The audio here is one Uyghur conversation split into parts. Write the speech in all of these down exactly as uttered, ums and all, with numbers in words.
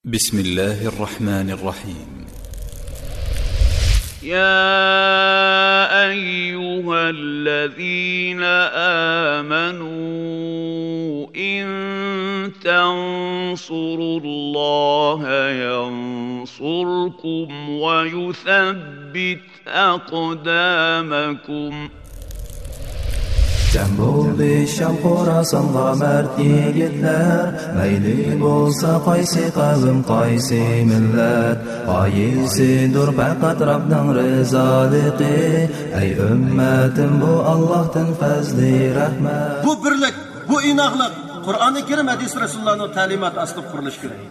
بسم الله الرحمن الرحيم. يا أيها الذين آمنوا إن تنصروا الله ينصركم ويثبت أقدامكم. جەم بولدى شام خوراسانغا مەرد يىگىتلەر، مەيلى بولسا قايسى قەۋم، قايسى مىللەت، غايىسىدۇر پەقەت رەبنىڭ رىزالىقى. ئەي ئۈممەتىم، بۇ ئاللاھتىن پەزلى رەھمەت. بۇ بىرلىك، بۇ ئىناقلىق قۇرئانى كەرىم، ھەدىس رەسۇلۇللانىڭ تەلىماتى ئاستىدا قۇرۇلۇشى كېرەك.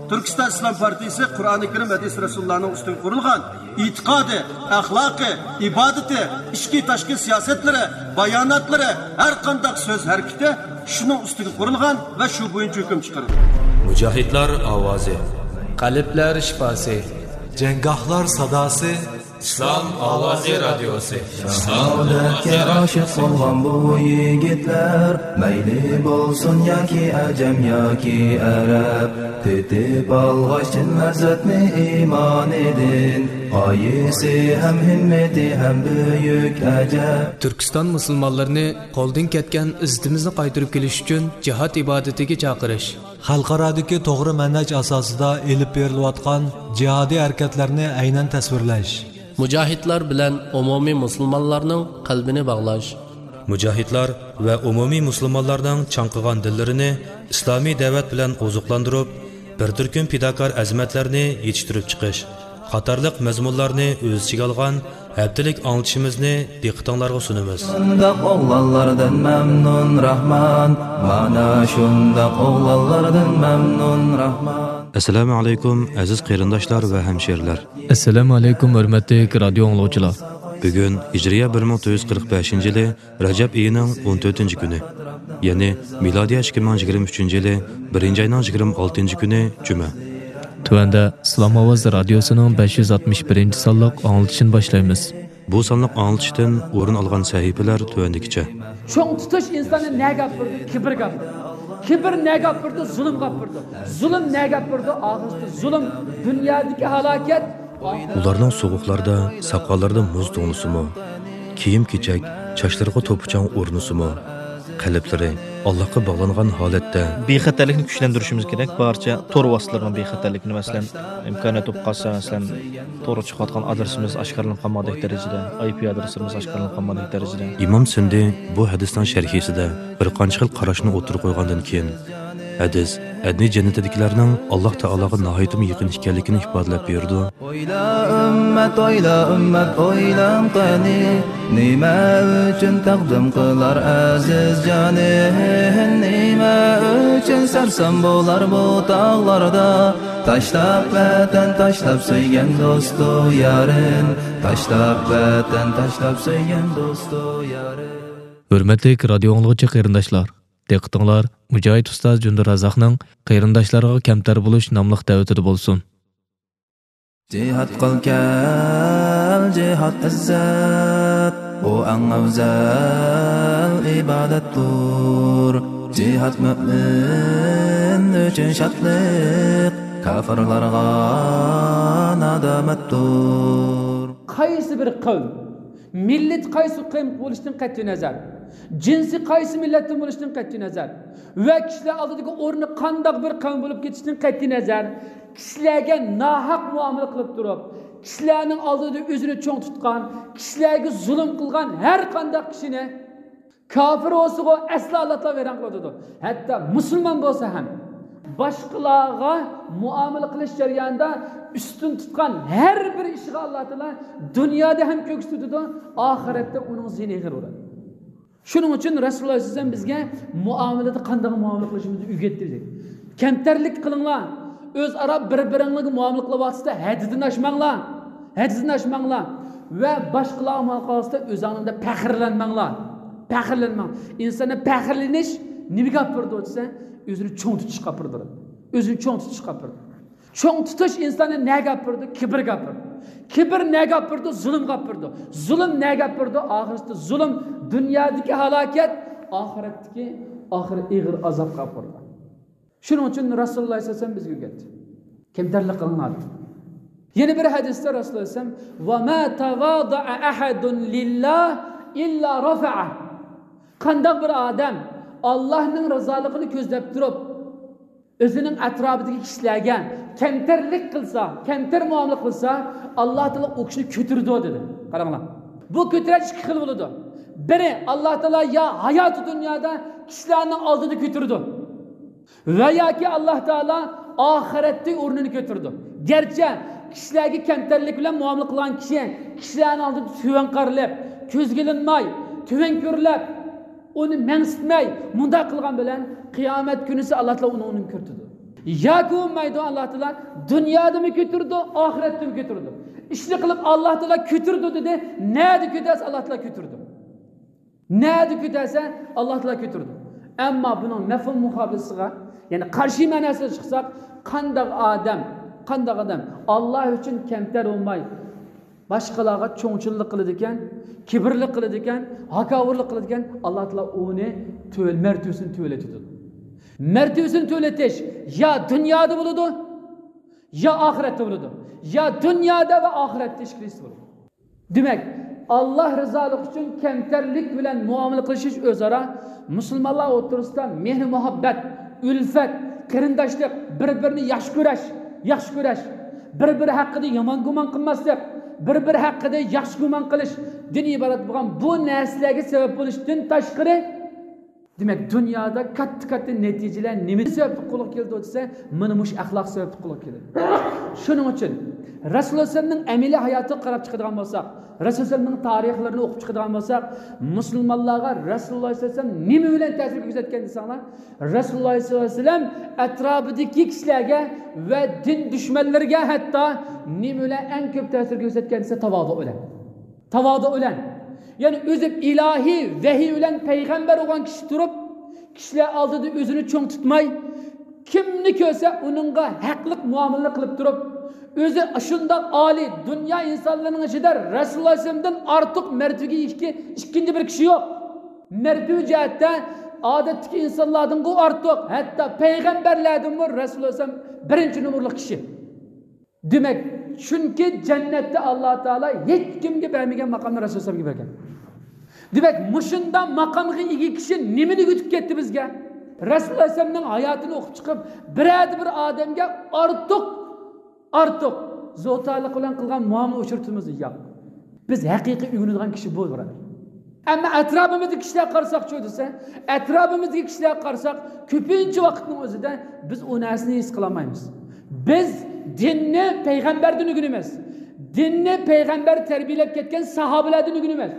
تۈركىستان ئىسلام پارتىيىسى قۇرئانى كەرىم، ھەدىس رەسۇلۇللانىڭ ئۈستىگە قۇرۇلغان ئېتىقادى، ئەخلاقى، ئىبادىتى، ئىچكى تاشقى سىياسەتلىرى، باياناتلىرى، ھەر قانداق سۆز ھەرىكىتى شۇنىڭ ئۈستىگە قۇرۇلغان ۋە شۇ بويىچە ھۆكۈم چىقىرىدۇ. مۇجاھىدلار ئاۋازى. قەلبلەر شىپاسى. جەڭگاھلار ساداسى. ئىسلام ئاۋازى رادىيوسى. شاھادەتكە ئاشىق بولغان بۇ يىگىتلەر، مەيلى بولسۇن ياكى ئەجەم ياكى ئەرەب، تېتىپ ئالغاچ چىن لەززەتنى ئىمانىدىن، غايىسى ھەم ھىممىتى ھەم بۈيۈك ئەجەب. تۈركىستان مۇسۇلمانلىرىنى قولدىن كەتكەن ئىززىتىمىزنى قايتۇرۇپ كېلىش ئۈچۈن جىھاد ئىبادىتىگە چاقىرىش. خەلقئارادىكى توغرا مەنھەج ئاساسىدا ئېلىپ بېرىلىۋاتقان جىھادىي ھەرىكەتلەرنى ئەينەن تەسۋىرلەش. مۇجاھىدلار بىلەن ئومۇمىي مۇسۇلمانلارنىڭ قەلبىنى باغلاش. مۇجاھىدلار ۋە ئومۇمىي مۇسۇلمانلارنىڭ چاڭقىغان دىللىرىنى ئىسلامىي دەۋەت بىلەن ئوزۇقلاندۇرۇپ، بىر تۈركۈم پىداكار ئەزىمەتلەرنى يېتىشتۈرۈپ چىقىش قاتارلىق مەزمۇنلارنى ئۆز ئىچىگە ئالغان ھەپتىلىك ئاڭلىتىشىمىزنى دىققىتىڭلارغا سۇنىمىز. شۇنداق ئوغلانلاردىن مەمنۇن راھمان، مانا شۇنداق ئوغلانلاردىن مەمنۇن راھمان. ئەسسالامۇ ئەلەيكۇم، ئەزىز قېرىنداشلار ۋە ھەمشېرىلەر. ئەسسالامۇ ئەلەيكۇم، ھۆرمەتلىك رادىيو ئاڭلىغۇچىلار. بۈگۈن ھىجرىيە بىر مىڭ تۆت يۈز قىرىق بەشىنچى يىلى رەجەب ئېيىنىڭ ئون تۆتىنچى كۈنى، يەنى مىلادىيە ئىككى مىڭ يىگىرمە ئۈچىنچى يىلى بىرىنچى ئاينىڭ يىگىرمە ئالتىنچى كۈنى جۈمە. تۆۋەندە ئىسلام ئاۋازى رادىيوسىنىڭ بەش يۈز ئاتمىش بىرىنچى سانلىق ئاڭلىتىشىنى باشلايمىز. بۇ سانلىق ئاڭلىتىشتىن ئورۇن ئالغان سەھىپىلەر تۆۋەندىكىچە. چوڭ تۇتۇش ئىنساننى نەگە ئاپىرىدۇ؟ كىبىرگە ئاپىرىدۇ. كىبىر نەگە ئاپىرىدۇ؟ زۇلۇمغا ئاپىرىدۇ. زۇلۇم نەگە ئاپىرىدۇ؟ ئاخىرسىدا زۇلۇم، دۇنيادىكى ھالاكەت. ئۇلارنىڭ سوغۇقلاردا ساقاللىرىدا مۇز توڭلىسىمۇ، كىيىم-كېچەك چاچلىرىغا توپا-چاڭ ئورنىسىمۇ، قەلبلىرى ئاللاھقا باغلانغان ھالەتتە. بىخەتەرلىكنى كۈچلەندۈرۈشىمىز كېرەك. بارچە تور ۋاسىتىلىرىنىڭ بىخەتەرلىكىنى، مەسىلەن، ئىمكانىيەت بولۇپ قالسا، مەسىلەن، تورغا چىقىۋاتقان ئادرېسىمىز ئاشكارىلىنىپ قالمىغۇدەك دەرىجىدە، ئايپى ئادرېسلىرىمىز ئاشكارىلىنىپ قالمىغۇدەك دەرىجىدە. ئىمام سىندى بۇ ھەدىسنىڭ شەرھىسىدە بىر قانچە خىل قاراشنى ئوتتۇرىغا قويغاندىن كېيىن، ھەدىس ئەدنى جەننىتىدىكىلەرنىڭ ئاللاھ تائالاغا ناھايىتىمۇ يېقىن ئىكەنلىكىنى ئىپادىلەپ بېرىدۇ. ئويلا ئۈممەت، ئويلا ئۈممەت، ئويلاڭ قېنى، نېمە ئۈچۈن تەقدىم قىلار ئەزىز جانى؟ نېمە ئۈچۈن سەرسان بولار بۇ تاغلاردا؟ تاشلاپ ۋەتەن، تاشلاپ سۆيگەن دوستۇ يارىن، تاشلاپ ۋەتەن، تاشلاپ سۆيگەن دوستۇ يارىن. ھۆرمەتلىك رادىيو ئاڭلىغۇچى قېرىنداشلار! دىققىتىڭلار مۇجاھىد ئۇستاز جۇندىرازاقنىڭ قېرىنداشلارغا كەمتەر بولۇش ناملىق دەۋىتىدە بولسۇن. جىھاد قىل كەل، جىھاد ئىززەت، ئۇ ئەڭ ئەۋزەل ئىبادەتتۇر. جىھاد مۆمىن ئۈچۈن شادلىق، كاپىرلارغا نادامەتتۇر. قايسى بىر قەۋم، مىللىتى قايسى قەۋم بولۇشتىن قەتئىينەزەر، جىنسى قايسى مىللەتتىن بولۇشتىن قەتئىينەزەر ۋە كىشىلەر ئالدىدىكى ئورنى قانداق بىر قەۋم بولۇپ كېتىشتىن قەتئىينەزەر، كىشىلەرگە ناھەق مۇئامىلە قىلىپ تۇرۇپ، كىشىلەرنىڭ ئالدىدا ئۆزىنى چوڭ تۇتقان، كىشىلەرگە زۇلۇم قىلغان ھەر قانداق كىشىنى، كاپىر بولسىغۇ، ئەسلا ئاللا تائالا ۋەيران قىلىۋاتىدۇ. ھەتتا مۇسۇلمان بولسا ھەم، باشقىلارغا مۇئامىلە قىلىش جەريانىدا ئۈستۈن تۇتقان ھەر بىر ئىشىغا ئاللا تائالا دۇنيادا ھەم كۆكسىتىۋېتىدۇ، ئاخىرەتتە ئۇنىڭ زىيىنى ئېغىر بولىدۇ. شۇنىڭ ئۈچۈن رەسۇلۇللا ئەلەيھىسسالام بىزگە مۇئامىلىدە قانداق مۇئامىلە قىلىشىمىزنى ئۆگەتتى، دېدى. كەمتەرلىك قىلىڭلار، ئۆزئارا بىر-بىرىڭلارگە مۇئامىلە قىلىۋاتسىدا ھەددىدىن ئاشماڭلار، ھەددىدىن ئاشماڭلار ۋە باشقىلارغا مۇئامىلە قىلىۋاتسىدا ئۆزۈڭلار بىلەن پەخىرلەنمەڭلار، پەخىرلەنمەڭ. ئىنساندا پەخىرلىنىش نېمىگە ئاپىرىدۇ دېسە، ئۆزىنى چوڭ تۇتۇشقا ئاپىرىدۇ. ئۆزىنى چوڭ تۇتۇشقا ئاپىرىدۇ. چوڭ تۇتۇش ئىنساننى نەگە ئاپىرىدۇ؟ كىبىرگە ئاپىرىدۇ. كىبىر نەگە ئاپىرىدۇ؟ زۇلۇمغا ئاپىرىدۇ. زۇلۇم نەگە ئاپىرىدۇ؟ ئاخىرسىدا زۇلۇم دۇنيادىكى ھالاكەت، ئاخىرەتتىكى ئاخىرى ئېغىر ئازابقا ئاپىرىدۇ. شۇنىڭ ئۈچۈن رەسۇلۇللا ئەلەيھىسسالام بىزگە ئۆگەتتى. كەمتەرلىك قىلىڭلار. يەنە بىر ھەدىستە رەسۇلۇللاھ ئەلەيھىسسالام، «ۋە ما تەۋادەئە ئەھەدۇن لىللاھ ئىللا رەفەئە.» قانداق بىر ئادەم ئاللاھنىڭ رىزالىقىنى كۆزلەپ تۇرۇپ، ئۆزىنىڭ ئەتراپىدىكى كىشىلەرگە كەمتەرلىك قىلسا، كەمتەر مۇئامىلە قىلسا، ئاللاھ تائالا ئۇ كىشىنى كۆتۈرىدۇ، دېدى. قاراڭلار. بۇ كۆتۈرۈش ئىككى خىل بولىدۇ. بىرى، ئاللاھ تائالا يا ھاياتى دۇنيادا كىشىلەرنىڭ ئالدىدا كۆتۈرىدۇ. ۋە ياكى ئاللاھ تائالا ئاخىرەتتە ئورنىنى كۆتۈرىدۇ. گەرچە كىشىلەرگە كەمتەرلىك بىلەن مۇئامىلە قىلغان كىشى كىشىلەرنىڭ ئالدىدا تۆۋەن قارىلىپ، كۆزگە ئىلىنماي، تۆۋەن كۆرۈلۈپ، ئۇنى مەنسىتمەي، مۇنداق قىلغان بىلەن قىيامەت كۈنىسى ئاللاھ تائالا ئۇنى، ئۇنى كۆتۈرىدۇ. ياكى بولمايدۇ، ئاللاھ تائالا دۇنيادىمۇ كۆتۈرىدۇ، ئاخىرەتتىمۇ كۆتۈرىدۇ. ئىشنى قىلىپ ئاللاھ تائالا كۆتۈرىدۇ دېدى. نەدە كۆتەرسە ئاللاھ تائالا كۆتۈرىدۇ. نەدە كۆتەرسە، ئاللاھ تائالا كۆتۈرىدۇ. ئەمما بۇنىڭ مەفھۇم مۇقابىلىسىغا، يەنى قارشى مەناسىغا چىقساق، قانداق ئادەم، قانداق ئادەم ئاللاھ ئۈچۈن كەمتەر بولماي، باشقىلارغا چوڭچىللىق قىلىدىكەن، كىبىرلىك قىلىدىكەن، ھاكاۋۇرلۇق قىلىدىكەن، ئاللاھ تائالا ئۇنى تۆۋەن، مەرتىۋىسىنى تۆۋەنلىتىدۇ. مەرتىۋىسىنى تۆۋەنلىتىش يا دۇنيادا بولىدۇ، يا ئاخىرەتتە بولىدۇ. يا دۇنيادا ۋە ئاخىرەتتە ئىككىلىسى بولىدۇ. دېمەك، ئاللاھ رىزالىقى ئۈچۈن كەمتەرلىك بىلەن مۇئامىلە قىلىشىش ئۆزئارا مۇسۇلمانلار ئوتتۇرىسىدا مېھرى مۇھەببەت، ئۈلفەت، قېرىنداشلىق، بىر-بىرىنى ياخشى كۆرەش، ياخشى كۆرەش، بىر-بىرى ھەققىدە يامان گۇمان قىلماسلىق، بىر-بىرى ھەققىدە ياخشى گۇمان قىلىشتىن ئىبارەت بولغان بۇ نەرسىلەرگە سەۋەب بولۇشتىن تاشقىرى، دېمەك، دۇنيادا كاتتا-كاتتا نەتىجىلەر نېمە سەۋەبلىك قولغا كېلىدۇ دېسە، مانا مۇشۇ ئەخلاق سەۋەبلىك قولغا كېلىدۇ. شۇنىڭ ئۈچۈن رەسۇلۇللاھ ئەلەيھىسسالامنىڭ ئەمەلىي ھاياتىغا قاراپ چىقىدىغان بولساق، رەسۇلۇللاھ ئەلەيھىسسالامنىڭ تارىخلىرىنى ئوقۇپ چىقىدىغان بولساق، مۇسۇلمانلارغا رەسۇلۇللاھ ئەلەيھىسسالام نېمە بىلەن تەسىر كۆرسەتكەن دېسەڭلار، رەسۇلۇللاھ ئەلەيھىسسالام ئەتراپىدىكى كىشىلەرگە ۋە دىن دۈشمەنلىرىگە ھەتتا نېمە بىلەن ئەڭ كۆپ تەسىر كۆرسەتكەن دېسە، تاۋازۇ بىلەن. تاۋازۇ بىلەن. يەنى ئۆزى ئىلاھىي ۋەھىي بىلەن پەيغەمبەر بولغان كىشى تۇرۇپ، كىشىلەر ئالدىدا ئۆزىنى چوڭ تۇتماي، كىمنى كۆرسە ئۇنىڭغا ھەقلىق مۇئامىلىنى قىلىپ تۇرۇپ، ئۆزى شۇنداق ئالىي، دۇنيا ئىنسانلىرىنىڭ ئىچىدە رەسۇلۇللاھ ئەلەيھىسسالامدىن ئارتۇق مەرتىۋىگە ئىگە ئىككىنچى بىر كىشى يوق. مەرتىۋە جەھەتتە ئادەتتىكى ئىنسانلاردىنغۇ ئارتۇق، ھەتتا پەيغەمبەرلەردىنمۇ رەسۇلۇللاھ ئەلەيھىسسالام بىرىنچى نومۇرلۇق كىشى. دېمەك، چۈنكى جەننەتتە ئاللاھ تائالا ھېچكىمگە بەرمىگەن ماقامنى رەسۇلۇللاھ ئەلەيھىسسالامغا بەرگەن. دېمەك، مۇشۇنداق ماقامغا ئىگە كىشى نېمىنى ئۆگىتىپ كەتتى بىزگە؟ رەسۇلۇللاھ ئەلەيھىسسالامنىڭ ھاياتىنى ئوقۇپ چىقىپ، بىرەر بىر ئادەمگە ئارتۇق، ئارتۇق زوتالىق بىلەن قىلغان مۇئامىلە ئۇچرىتىمىز؟ ياق. بىز ھەقىقىي ئۆگىنىدىغان كىشى بۇ، بۇرادەر. ئەمما ئەتراپىمىزدىكى كىشىلەرگە قارىساقچۇ دېسە، ئەتراپىمىزدىكى كىشىلەرگە قارىساق، كۆپىنچە ۋاقىتنىڭ ئۆزىدە بىز ئۇ نەرسىنى ھېس قىلالمايمىز. بىز دىننى پەيغەمبەردىن ئۆگىنىمىز. دىننى پەيغەمبەر تەربىيەلەپ كەتكەن ساھابىلەردىن ئۆگىنىمىز.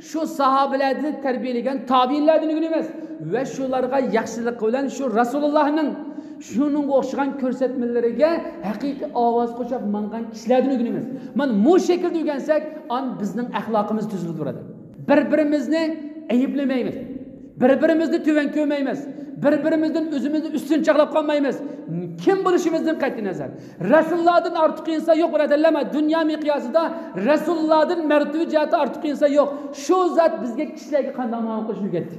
شۇ ساھابىلەردىن تەربىيەلىگەن تابىئىنلاردىن ئۆگىنىمىز. ۋە شۇلارغا ياخشىلىق بىلەن شۇ رەسۇلۇللاھنىڭ شۇنىڭغا ئوخشىغان كۆرسەتمىلىرىگە ھەقىقىي ئاۋاز قوشۇپ ماڭغان كىشىلەردىن ئۆگىنىمىز. مانا مۇشۇ شەكىلدە ئۆگەنسەك، ئاندىن بىزنىڭ ئەخلاقىمىز تۈزۈلىدۇ، بۇرادەر. بىر-بىرىمىزنى ئەيىبلىمەيمىز. بىر-بىرىمىزنى تۆۋەن كۆرمەيمىز. بىر-بىرىمىزدىن ئۆزىمىزنى ئۈستۈن چاغلاپ قالمايمىز. كىم بولۇشىمىزدىن قەتئىينەزەر، رەسۇلۇللاھدىن ئارتۇق ئىنسان يوق، بۇرادەرلەر. مانا دۇنيا مىقياسىدا رەسۇلۇللاھدىن مەرتىۋە جەھەتتە ئارتۇق ئىنسان يوق. شۇ زات بىزگە كىشىلەرگە قانداق مۇئامىلە قىلىشنى ئۆگەتتى.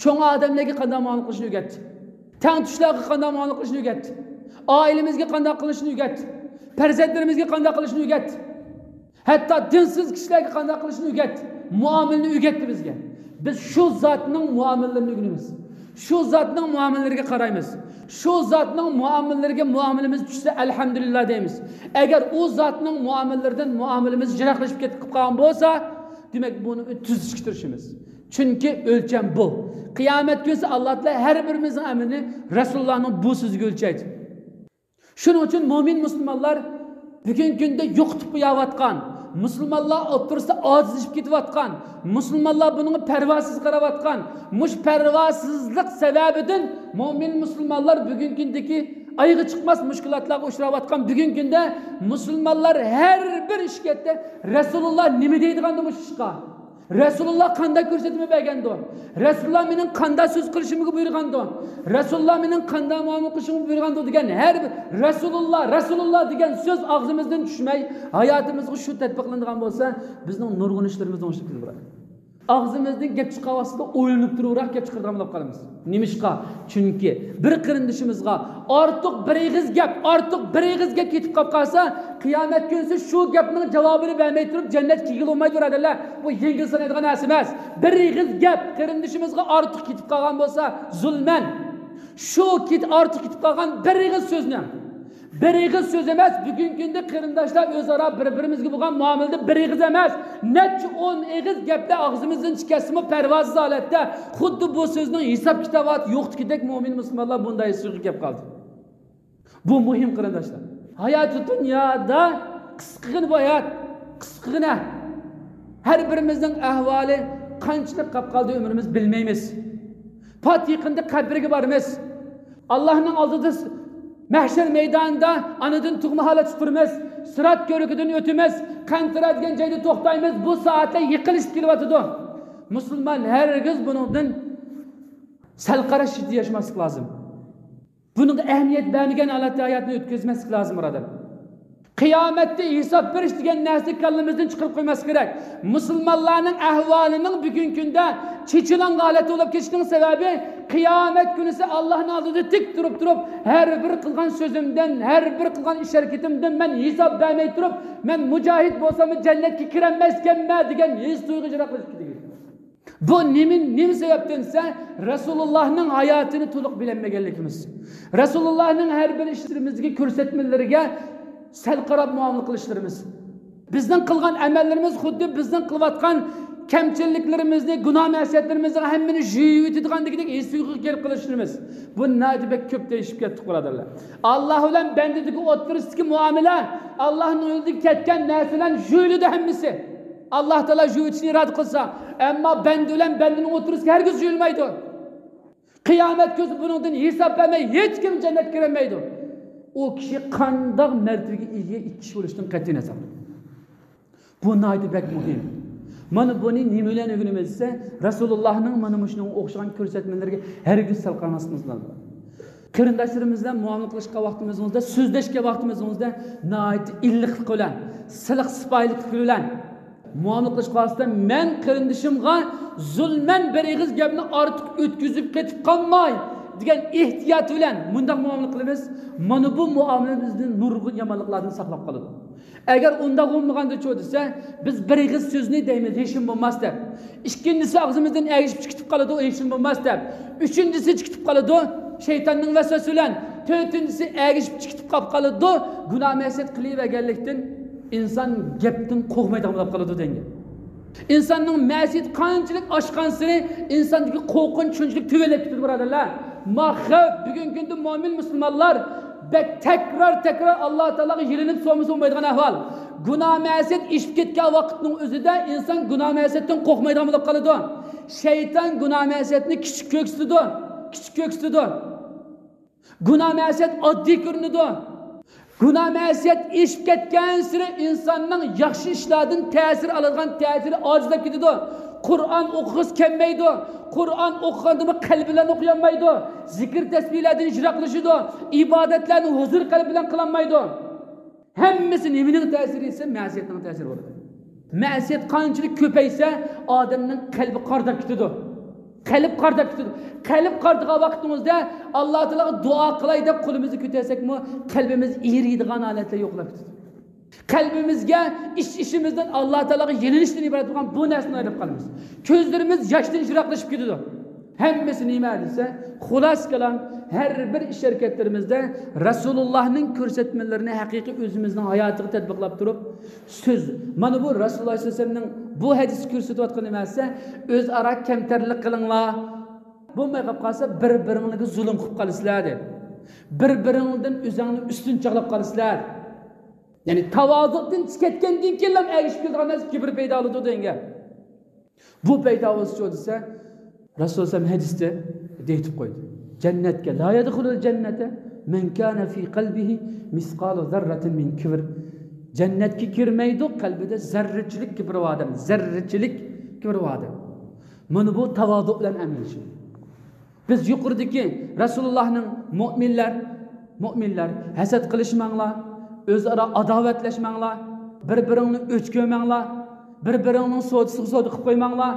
چوڭ ئادەملەرگە قانداق مۇئامىلە قىلىشنى ئۆگەتتى. تەڭتۇشلارغا قانداق مۇئامىلە قىلىشنى ئۆگەتتى. ئائىلىمىزگە قانداق قىلىشنى ئۆگەتتى. پەرزەنتلىرىمىزگە قانداق قىلىشنى ئۆگەتتى. ھەتتا دىنسىز كىشىلەرگە قانداق قىلىشنى ئۆگەتتى. مۇئامىلىنى ئۆگەتتى بىزگە. بىز شۇ زاتنىڭ مۇئامىلىلىرىنى ئۆگىنىمىز. شۇ زاتنىڭ مۇئامىلىلىرىگە قارايمىز. شۇ زاتنىڭ مۇئامىلىلىرىگە مۇئامىلىمىز چۈشسە، ئەلھەمدۇلىللا دەيمىز. ئەگەر ئۇ زاتنىڭ مۇئامىلىلىرىدىن مۇئامىلىمىز يىراقلىشىپ كېتىپ قالغان بولسا، دېمەك، بۇنى تۈزىتىشكە تىرىشىمىز. چۈنكى ئۆلچەم بۇ. قىيامەت كۈنىسى ئاللا تائالا ھەر بىرىمىزنىڭ ئەمىلىنى رەسۇلۇللانىڭ بۇ سۆزىگە ئۆلچەيدۇ. شۇنىڭ ئۈچۈن مۆمىن مۇسۇلمانلار بۈگۈنكى كۈندە يوقىتىپ قويۇۋاتقان، مۇسۇلمانلار ئوتتۇرىسىدا ئاجىزلىشىپ كېتىۋاتقان، مۇسۇلمانلار بۇنىڭغا پەرۋاسىز قاراۋاتقان، مۇشۇ پەرۋاسىزلىق سەۋەبىدىن مۆمىن مۇسۇلمانلار بۈگۈنكى كۈندىكى ئايىغى چىقماس مۇشكىلاتلارغا ئۇچراۋاتقان بۈگۈنكى كۈندە مۇسۇلمانلار ھەر بىر ئىشكەتتە رەسۇلۇللا نېمە دەيدىغاندۇ مۇشۇ ئىشقا؟ رەسۇلۇللا قانداق كۆرسەتمە بەرگەندۇ؟ رەسۇلۇللا مېنىڭ قانداق سۆز قىلىشىمغا بۇيرۇغاندۇ؟ رەسۇلۇللا مېنىڭ قانداق مۇئامىلە قىلىشىمغا بۇيرۇغاندۇ دېگەن ھەر بىر رەسۇلۇللا، رەسۇلۇللا دېگەن سۆز ئاغزىمىزدىن چۈشمەي، ھاياتىمىزغا شۇ تەتبىقلىنىدىغان بولسا، بىزنىڭ نۇرغۇن ئىشلىرىمىز ئوڭشىلىپ كېتىدۇ، بۇرادەر. ئاغزىمىزدىن گەپ چىقارغان ۋاقتىدا ئويلىنىپ تۇرۇپراق گەپ چىقىرىدىغان بولۇپ قالىمىز. نېمىشقا؟ چۈنكى بىر قېرىندىشىمىزغا ئارتۇق بىر ئېغىز گەپ، ئارتۇق بىر ئېغىز گەپ كېتىپ قاپ قالسا، قىيامەت كۈنىسى شۇ گەپنىڭ جاۋابىنى بەرمەي تۇرۇپ جەننەتكە كىرگىلى بولمايدۇ، بۇرادەرلەر. بۇ يەڭگىل سانايدىغان نەرسە ئەمەس. بىر ئېغىز گەپ قېرىندىشىمىزغا ئارتۇق كېتىپ قالغان بولسا، زۇلمەن، شۇ كېت-، ئارتۇق كېتىپ قالغان بىر ئېغىز سۆزنى، بىر ئېغىز سۆز ئەمەس، بۈگۈنكى كۈندە قېرىنداشلار ئۆزئارا بىر-بىرىمىزگە بولغان مۇئامىلىدە بىر ئېغىز ئەمەس، نەچچە ئون ئېغىز گەپلەر ئاغزىمىزدىن چىقىپ كەتسىمۇ، پەرۋاسىز ھالەتتە خۇددى بۇ سۆزنىڭ ھېساب-كىتابى يوقتىكىدەك مۆمىن مۇسۇلمانلار بۇنداق ھېسسىياتقا كەپ قالدى. بۇ مۇھىم، قېرىنداشلار. ھاياتى دۇنيادا قىسقىغىنە بۇ ھايات، قىسقىغىنە. ھەر بىرىمىزنىڭ ئەھۋالى قانچىلىك قاپ قالدى ئۆمرىمىز بىلمەيمىز. پات يېقىندا قەبرىگە بارىمىز. ئاللاھنىڭ ئالدىدا س-، مەھشەر مەيدانىدا ئانىدىن تۇغما ھالەتتە تۇرىمىز. سىرات كۆۋرۈكىدىن ئۆتىمىز. قەنتىرە دېگەن جايدا توختايمىز. بۇ سائەتلەر يېقىنلىشىپ كېلىۋاتىدۇ. مۇسۇلمان ھەرگىز بۇنىڭدىن سەل قاراش ئىچىدە ياشىماسلىق لازىم. بۇنىڭغا ئەھمىيەت بەرمىگەن ھالەتتە ھاياتنى ئۆتكۈزمەسلىك لازىم، بۇرادەر. قىيامەتتە ھېساب بېرىش دېگەن نەرسىنى كاللىمىزدىن چىقىرىپ قويماسلىق كېرەك. مۇسۇلمانلارنىڭ ئەھۋالىنىڭ بۈگۈنكى كۈندە چېچىلانغان ھالەتتە بولۇپ كېتىشىنىڭ سەۋەبى، قىيامەت كۈنىسى ئاللاھنىڭ ئالدىدا تىك تۇرۇپ تۇرۇپ، ھەر بىر قىلغان سۆزۈمدىن، ھەر بىر قىلغان ئىش ھەرىكىتىمدىن مەن ھېساب بەرمەي تۇرۇپ، مەن مۇجاھىد بولساممۇ جەننەتكە كىرەلمەسكەنمەن دېگەن ھېس تۇيغۇ يىراقلىشىپ كېتىدۇ. بۇ نېمە، نېمە سەۋەبتىن دېسە، رەسۇلۇللاھنىڭ ھاياتىنى تولۇق بىلەلمىگەنلىكىمىز. رەسۇلۇللاھنىڭ ھەر بىر ئىشلىرىمىزدىكى كۆرسەتمىلىرىگە سەل قاراپ مۇئامىلە قىلىشلىرىمىز. بىزنىڭ قىلغان ئەمەللىرىمىز خۇددى بىزنىڭ قىلىۋاتقان كەمچىلىكلىرىمىزنى، گۇناھ مەسىيەتلىرىمىزنىڭ ھەممىنى يۇيۇۋېتىدىغاندىكىدەك ھېس تۇيغۇغا كېلىپ قېلىشلىرىمىز. بۇ ناھايىتى بەك كۆپ دېيىشىپ كەتتۇق، بۇرادەرلەر. ئاللاھ بىلەن بەندىدىكى ئوتتۇرىسىدىكى مۇئامىلە، ئاللاھنىڭ يولىدىن كەتكەن نەرسە بىلەن يۇيۇلىدۇ ھەممىسى. ئاللاھ تائالا يۇيۇۋېتىشنى ئىرادە قىلسا، ئەمما بەندە بىلەن بەندىنىڭ ئوتتۇرىسىدا ھەرگىز يۇيۇلمايدۇ. قىيامەت كۈنى بۇنىڭدىن ھېساب بەرمەي ھېچكىم جەننەتكە كىرەلمەيدۇ. ئۇ كىشى قانداق مەرتىۋىگە ئىگە ئىككى كىشى بولۇشتىن قەتئىينەزەر. بۇ ناھايىتى بەك مۇھىم. مانا بۇنى نېمە بىلەن ئۆگىنىمىز دېسە، رەسۇلۇللاھنىڭ مانا مۇشۇنىڭغا ئوخشىغان كۆرسەتمىلىرىگە ھەرگىز سەل قارىماسلىقىمىز لازىم. قېرىنداشلىرىمىز بىلەن مۇئامىلە قىلىشقان ۋاقتىمىزدا، سۆزلەشكەن ۋاقتىمىزدا ناھايىتى ئىللىقلىق بىلەن، سىلىق سىپايىلىقلىق بىلەن مۇئامىلە قىلىشقا ۋاسىتە، مەن قېرىندىشىمغا زۇلمەن بىر ئېغىز گەپنى ئارتۇق ئۆتكۈزۈپ كېتىپ قالماي دېگەن ئېھتىيات بىلەن مۇنداق مۇئامىلە قىلىمىز. مانا بۇ مۇئامىلە بىزنى نۇرغۇن يامانلىقلاردىن ساقلاپ قالىدۇ. ئەگەر ئۇنداق بولمىغاندىچۇ دېسە، بىز بىر ئېغىز سۆزنى دەيمىز، ھېچنېمە بولماس دەپ. ئىككىنچىسى ئاغزىمىزدىن ئەگىشىپ چىقىپ قالىدۇ، ھېچنېمە بولماس دەپ. ئۈچىنچىسى چىقىپ قالىدۇ، شەيتاننىڭ ۋەسۋەسىسى بىلەن. تۆتىنچىسى ئەگىشىپ چىقىپ قاپ قالىدۇ، گۇناھ مەسىيەت قىلىۋەرگەنلىكتىن ئىنسان گەپتىن قورقمايدىغان بولۇپ قالىدۇ دېگەن. ئىنساننىڭ مەسىيىتى قانچىلىك ئاشقانسېرى ئىنساندىكى قورقۇنچ شۇنچىلىك تۆۋەنلەپ كېتىدۇ، بۇرادەرلەر. ما خەۋپ، بۈگۈنكى كۈندە مۆمىن مۇسۇلمانلار بەك تەكرار، تەكرار ئاللا تائالاغا يېلىنىپ سورىمىسا بولمايدىغان ئەھۋال. گۇناھ مەسىيەت ئېشىپ كەتكەن ۋاقىتنىڭ ئۆزىدە ئىنسان گۇناھ مەسىيەتتىن قورقمايدىغان بولۇپ قالىدۇ. شەيتان گۇناھ مەسىيەتنى كىچىك كۆرسىتىدۇ، كىچىك كۆرسىتىدۇ. گۇناھ مەسىيەت ئاددىي كۆرۈنىدۇ. گۇناھ مەسىيەت ئېشىپ كەتكەنسېرى ئىنساننىڭ ياخشى ئىشلاردىن تەسىر ئالىدىغان تەسىرى ئاجىزلاپ كېتىدۇ. قۇرئان ئوقۇغۇسى كەلمەيدۇ. قۇرئان ئوقۇغاندىمۇ قەلبى بىلەن ئوقۇيالمايدۇ. زىكىر تەسبىھلەردىن يىراقلىشىدۇ. ئىبادەتلەرنى ھۇزۇر قەلبى بىلەن قىلالمايدۇ. ھەممىسى نېمىنىڭ تەسىرى دېسە، مەسىيەتنىڭ تەسىرى بولىدۇ. مەسىيەت قانچىلىك كۆپەيسە، ئادەمنىڭ قەلبى قارىداپ كېتىدۇ. قەلب قارىداپ كېتىدۇ. قەلب قارىدىغان ۋاقتىڭىزدا ئاللا تائالاغا دۇئا قىلاي دەپ قولىمىزنى كۆتەرسەكمۇ، قەلبىمىز ئېرىيدىغان ھالەتلەر يوقلاپ كېتىدۇ. قەلبىمىزگە ئىچ-ئىچىمىزدىن ئاللا تائالاغا يېلىنىشتىن ئىبارەت بولغان بۇ نەرسىدىن ئايرىلىپ قالىمىز. كۆزلىرىمىز ياشتىن يىراقلىشىپ كېتىدۇ. ھەممىسى نېمە دېسە، خۇلاسە كالام، ھەر بىر ئىش ھەرىكەتلىرىمىزدە رەسۇلۇللاھنىڭ كۆرسەتمىلىرىنى ھەقىقىي ئۆزىمىزنىڭ ھاياتىغا تەتبىقلاپ تۇرۇپ، سۆز، مانا بۇ رەسۇلۇللاھ سەللەللاھۇ ئەلەيھى ۋەسەللەمنىڭ بۇ ھەدىسى كۆرسىتىۋاتقىنى نېمە دېسە، ئۆزئارا كەمتەرلىك قىلىڭلار، بولماي قاپ قالسا، بىر-بىرىڭلارگە زۇلۇم قىلىپ قالىسىلەر دېدى. بىر-بىرىڭلاردىن ئۆزۈڭنى ئۈستۈن چاغلاپ قالىسىلەر. يەنى تاۋازۇدىن چىقىپ كەتكەندىن كېيىنلا ئەگىشىپ كېلىدىغان نەرسە كىبىر پەيدا بولىدۇ دېگەن گەپ. بۇ پەيدا بولسىچۇ دېسە، رەسۇل سەللەللاھۇ ئەلەيھى ۋەسەللەم ھەدىستە دېيىتىپ قويدى. جەننەتكە، لا يەدخۇلۇل جەننەتە مەن كانە فى قەلبىھى مىسقالۇ زەررەتىن مىن كىبر. جەننەتكە كىرمەيدۇ قەلبىدە زەررىچىلىك كىبرى بار ئادەم، زەررىچىلىك كىبرى بار ئادەم. مانا بۇ تاۋازۇ بىلەن ئەمەل ئىشى. بىز يۇقىرىدىكى رەسۇلۇللاھنىڭ مۆمىنلەر، مۆمىنلەر، ھەسەت قىلىشماڭلار، ئۆزئارا ئاداۋەتلەشمەڭلار، بىر-بىرىڭنى ئۆچ كۆرمەڭلار، بىر-بىرىڭنىڭ سودىسىغا سودا قىلىپ قويماڭلار،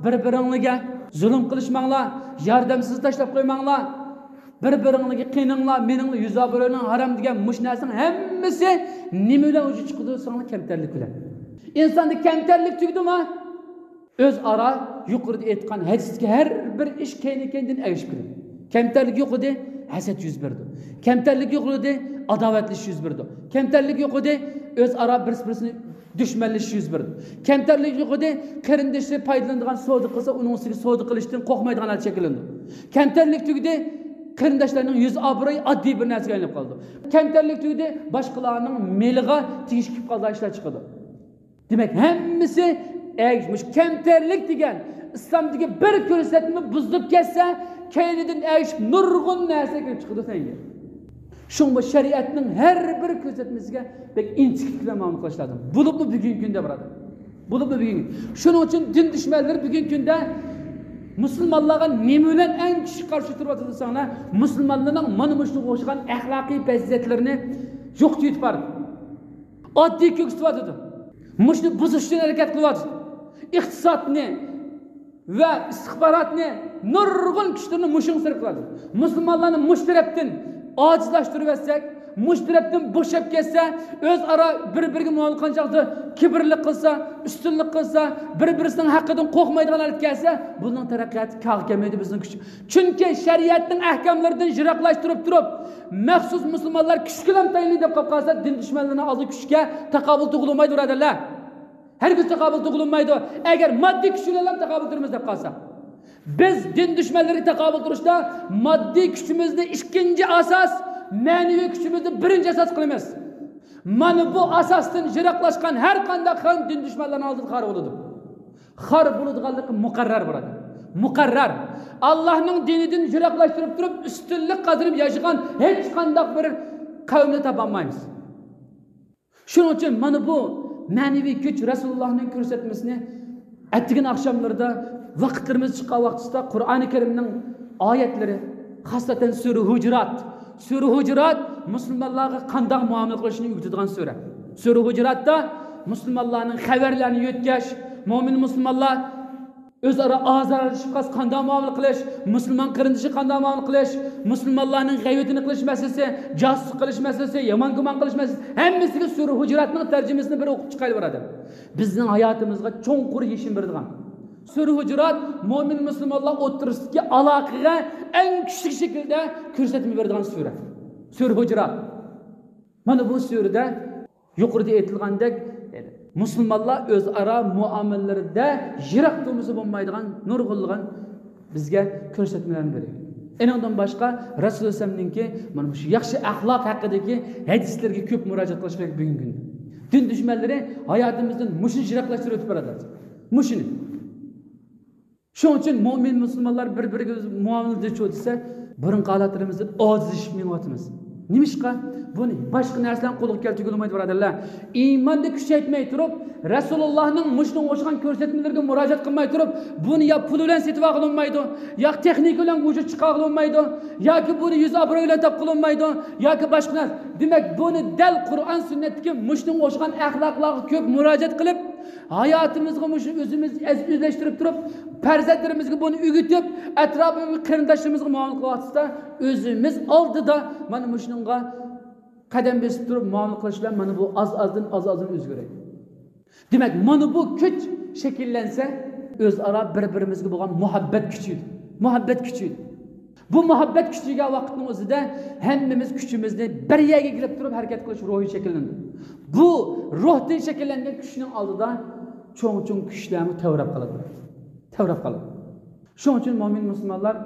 بىر-بىرىڭلارگە زۇلۇم قىلىشماڭلار، ياردەمسىز تاشلاپ قويماڭلار، بىر-بىرىڭلارگە قېنىڭلار، مېنىڭلار يۈز ئابرۇينىڭ ھارام دېگەن مۇشۇ نەرسىنىڭ ھەممىسى نېمە بىلەن ۋۇجۇدقا چىقىدۇ دېسەڭلار، كەمتەرلىك بىلەن. ئىنساندا كەمتەرلىك تۈگىدىمۇ؟ ئۆزئارا يۇقىرىدا ئېيتقان ھەدىستىكى ھەر بىر ئىش كەينى-كەينىدىن ئەگىشىپ كېلىدۇ. كەمتەرلىك يوق ئىدى، ھەسەت يۈز بېرىدۇ. كەمتەرلىك يوق ئىدى، ئاداۋەتلىشىش يۈز بېرىدۇ. كەمتەرلىك يوق ئىدى، ئۆزئارا بىرسى-بىرسىنى دۈشمەنلىشىش يۈز بېرىدۇ. كەمتەرلىك يوق ئىدى، قېرىندىشى پايدىلىنىدىغان سودا قىلسا، ئۇنىڭ ئۈستىگە سودا قىلىشتىن قورقمايدىغان ھالەت شەكىللىنىدۇ. كەمتەرلىك تۈگىدى، قېرىنداشلارنىڭ يۈز ئابرۇيى ئاددىي بىر نەرسىگە ئايلىنىپ قالىدۇ. كەمتەرلىك تۈگىدى، باشقىلارنىڭ مېلىغا تېگىش كېلىپ قالىدىغان ئىشلار چىقىدۇ. دېمەك، ھەممىسى ئەگىشىپ، مۇشۇ كەمتەرلىك دېگەن ئىسلامدىكى بىر كۆرسەتمە بۇزۇلۇپ كەتسە، كەينىدىن ئەگىشىپ نۇرغۇن نەرسە كېلىپ چىقىدۇ سەنگە. شۇڭا بۇ شەرىئەتنىڭ ھەر بىر كۆرسەتمىسىگە بەك ئىنچىكىلىك بىلەن مۇئامىلە قىلىش لازىم. بولۇپمۇ بۈگۈنكى كۈندە، بۇرادەر. بولۇپمۇ بۈگۈن. شۇنىڭ ئۈچۈن دىن دۈشمەنلىرى بۈگۈنكى كۈندە مۇسۇلمانلارغا نېمە بىلەن ئەڭ كۈچلۈك قارشى تۇرۇۋاتىدۇ دېسەڭلار، مۇسۇلمانلارنىڭ مانا مۇشۇنىڭغا ئوخشىغان ئەخلاقىي پەزىلەتلىرىنى يوقىتىۋېتىپ بارىدۇ. ئاددىي كۆكسىتىۋاتىدۇ. مۇشۇنى بۇزۇش ئۈچۈن ھەرىكەت قىلىۋاتىدۇ. ئىقتىسادنى ۋە ئىستىخباراتنى، نۇرغۇن كۈچلىرىنى مۇشۇڭ سەرپ قىلىدۇ. مۇسۇلمانلارنى مۇشۇ تەرەپتىن ئاجىزلاشتۇرۇۋەتسەك، مۇشۇ تەرەپتىن بوشاپ كەتسە، ئۆزئارا بىر-بىرىگە مۇئامىلە قىلغان چاغدا كىبىرلىك قىلسا، ئۈستۈنلۈك قىلسا، بىر-بىرسىنىڭ ھەققىدىن قورقمايدىغان ھالەتكە كەلسە، بۇنىڭ تەرەققىياتى كاغا كەلمەيدۇ بىزنىڭ كۈچ. چۈنكى شەرىئەتنىڭ ئەھكاملىرىدىن يىراقلاشتۇرۇپ تۇرۇپ، مەخسۇس مۇسۇلمانلار كۈچكىلا تايىنلى دەپ قاپ قالسا، دىن دۈشمەنلىرىنىڭ ئالدىدا كۈچكە تاقابىل تۇغۇلمايدۇ، بۇرادەرلەر. ھەرگىز تاقابىل تۇغۇلمايدۇ. ئەگەر ماددىي كۈچ بىلەن تاقابىل تۇرىمىز دەپ قالساق، بىز دىن دۈشمەنلىرىگە تاقابىل تۇرۇشتا ماددىي كۈچىمىزنى ئىككىنچى ئاساس، مەنىۋى كۈچىمىزنى بىرىنچى ئاساس قىلىمىز. مانا بۇ ئاساستىن يىراقلاشقان ھەر قانداق قەۋم دىن دۈشمەنلىرىنىڭ ئالدىدا خار بولىدۇ. خار بولىدىغانلىقى مۇقەررەر، بۇرادەر. مۇقەررەر. ئاللاھنىڭ دىنىدىن يىراقلاشتۇرۇپ تۇرۇپ، ئۈستۈنلۈك قازىنىپ ياشىغان ھېچقانداق بىر قەۋمنى تاپالمايمىز. شۇنىڭ ئۈچۈن مانا بۇ مەنىۋى كۈچ، رەسۇلۇللاھنىڭ كۆرسەتمىسىنى ئەتىگەن ئاخشاملىرىدا ۋاقىتلىرىمىز چىققان ۋاقتىدا قۇرئانى كەرىمنىڭ ئايەتلىرى، خاسسەتەن سۈرە ھۇجرات. سۈرە ھۇجرات مۇسۇلمانلارغا قانداق مۇئامىلە قىلىشنى ئۆگىتىدىغان سۈرە. سۈرە ھۇجراتتا مۇسۇلمانلارنىڭ خەۋەرلەرنى يۆتكەش، مۆمىن مۇسۇلمانلار ئۆزئارا ئازارلىشىپ قالسا قانداق مۇئامىلە قىلىش، مۇسۇلمان قېرىندىشى قانداق مۇئامىلە قىلىش، مۇسۇلمانلارنىڭ غەيۋىتىنى قىلىش مەسىلىسى، جاسۇسلۇق قىلىش مەسىلىسى، يامان گۇمان قىلىش مەسىلىسى، ھەممىسىگە سۈرە ھۇجراتنىڭ تەرجىمىسىنى بىر ئوقۇپ چىقايلى، بۇرادەر. بىزنىڭ ھاياتىمىزغا چوڭقۇر يېشىم بېرىدىغان. سۈرە ھۇجرات مۆمىن مۇسۇلمانلار ئوتتۇرىسىدىكى ئالاقىگە ئەڭ كۈچلۈك شەكىلدە كۆرسەتمە بېرىدىغان سۈرە. سۈرە ھۇجرات. مانا بۇ سۈرىدە يۇقىرىدا ئېيتىلغاندەك، مۇسۇلمانلار ئۆزئارا مۇئامىلىلىرىدە يىراق تۇرمىسا بولمايدىغان نۇرغۇنلىغان بىزگە كۆرسەتمىلەرنى بېرىدۇ. ئېنىڭدىن باشقا، رەسۇل ئەلەيھىسسالامنىڭكى مانا مۇشۇ ياخشى ئەخلاق ھەققىدىكى ھەدىسلىرىگە كۆپ مۇراجىئەت قىلىش كېرەك بۈگۈنكى كۈندە. دىن دۈشمەنلىرى ھاياتىمىزدىن مۇشۇنى يىراقلاشتۇرۇپ ئۆتۈپ باراتتى. مۇشۇنى. شۇنىڭ ئۈچۈن مۆمىن مۇسۇلمانلار بىر-بىرىگە مۇئامىلىدە چۇ دېسە، بۇرۇنقى ھالەتلىرىمىزدىن ئاجىزلىشىپ مېڭىۋاتىمىز. نېمىشقا؟ بۇنى باشقا نەرسىلەرنى قولغا كەلتۈرگىلى بولمايدۇ، بۇرادەرلەر. ئىماننى كۈچەيتمەي تۇرۇپ، رەسۇلۇللاھنىڭ مۇشۇنىڭغا ئوخشىغان كۆرسەتمىلىرىگە مۇراجىئەت قىلماي تۇرۇپ، بۇنى يا پۇل بىلەن سېتىۋالغىلى بولمايدۇ، يا تېخنىكا بىلەن ۋۇجۇد چىقارغىلى بولمايدۇ، ياكى بۇنى يۈز ئابرۇي بىلەن تاپقىلى بولمايدۇ، ياكى باشقا نەرسە. دېمەك، بۇنى دەل قۇرئان سۈننەتتىكى مۇشۇنىڭغا ئوخشىغان ئەخلاقلارغا كۆپ مۇراجىئەت قىلىپ، ھاياتىمىزغا مۇشۇ ئۆزىمىز ئەزىزلەشتۈرۈپ تۇرۇپ، پەرزەنتلىرىمىزگە بۇنى ئۆگىتىپ، ئەتراپىمىزدىكى قېرىنداشلىرىمىزغا مۇئامىلە قىلىۋاتىمىزدا، ئۆزىمىز ئالدىدا مانا مۇشۇنىڭغا قەدەم بېسىپ تۇرۇپ مۇئامىلە قىلىش بىلەن مانا بۇ ئاز-ئازدىن، ئاز-ئازدىن ئۆزگىرەيدۇ. دېمەك، مانا بۇ كۈچ شەكىللەنسە، ئۆزئارا بىر-بىرىمىزگە بولغان مۇھەببەت كۈچىيىدۇ. مۇھەببەت كۈچىيىدۇ. بۇ مۇھەببەت كۈچىيگەن ۋاقىتنىڭ ئۆزىدە ھەممىمىز كۈچىمىزنى بىر يەرگە كېلىپ تۇرۇپ ھەرىكەت قىلىش روھى شەكىللىنىدۇ. بۇ روھتىن شەكىللەنگەن كۈچنىڭ ئالدىدا چوڭ-چوڭ كۈچلەرمۇ تەۋرەپ قالىدۇ. تەۋرەپ قالىدۇ. شۇنىڭ ئۈچۈن مۆمىن مۇسۇلمانلار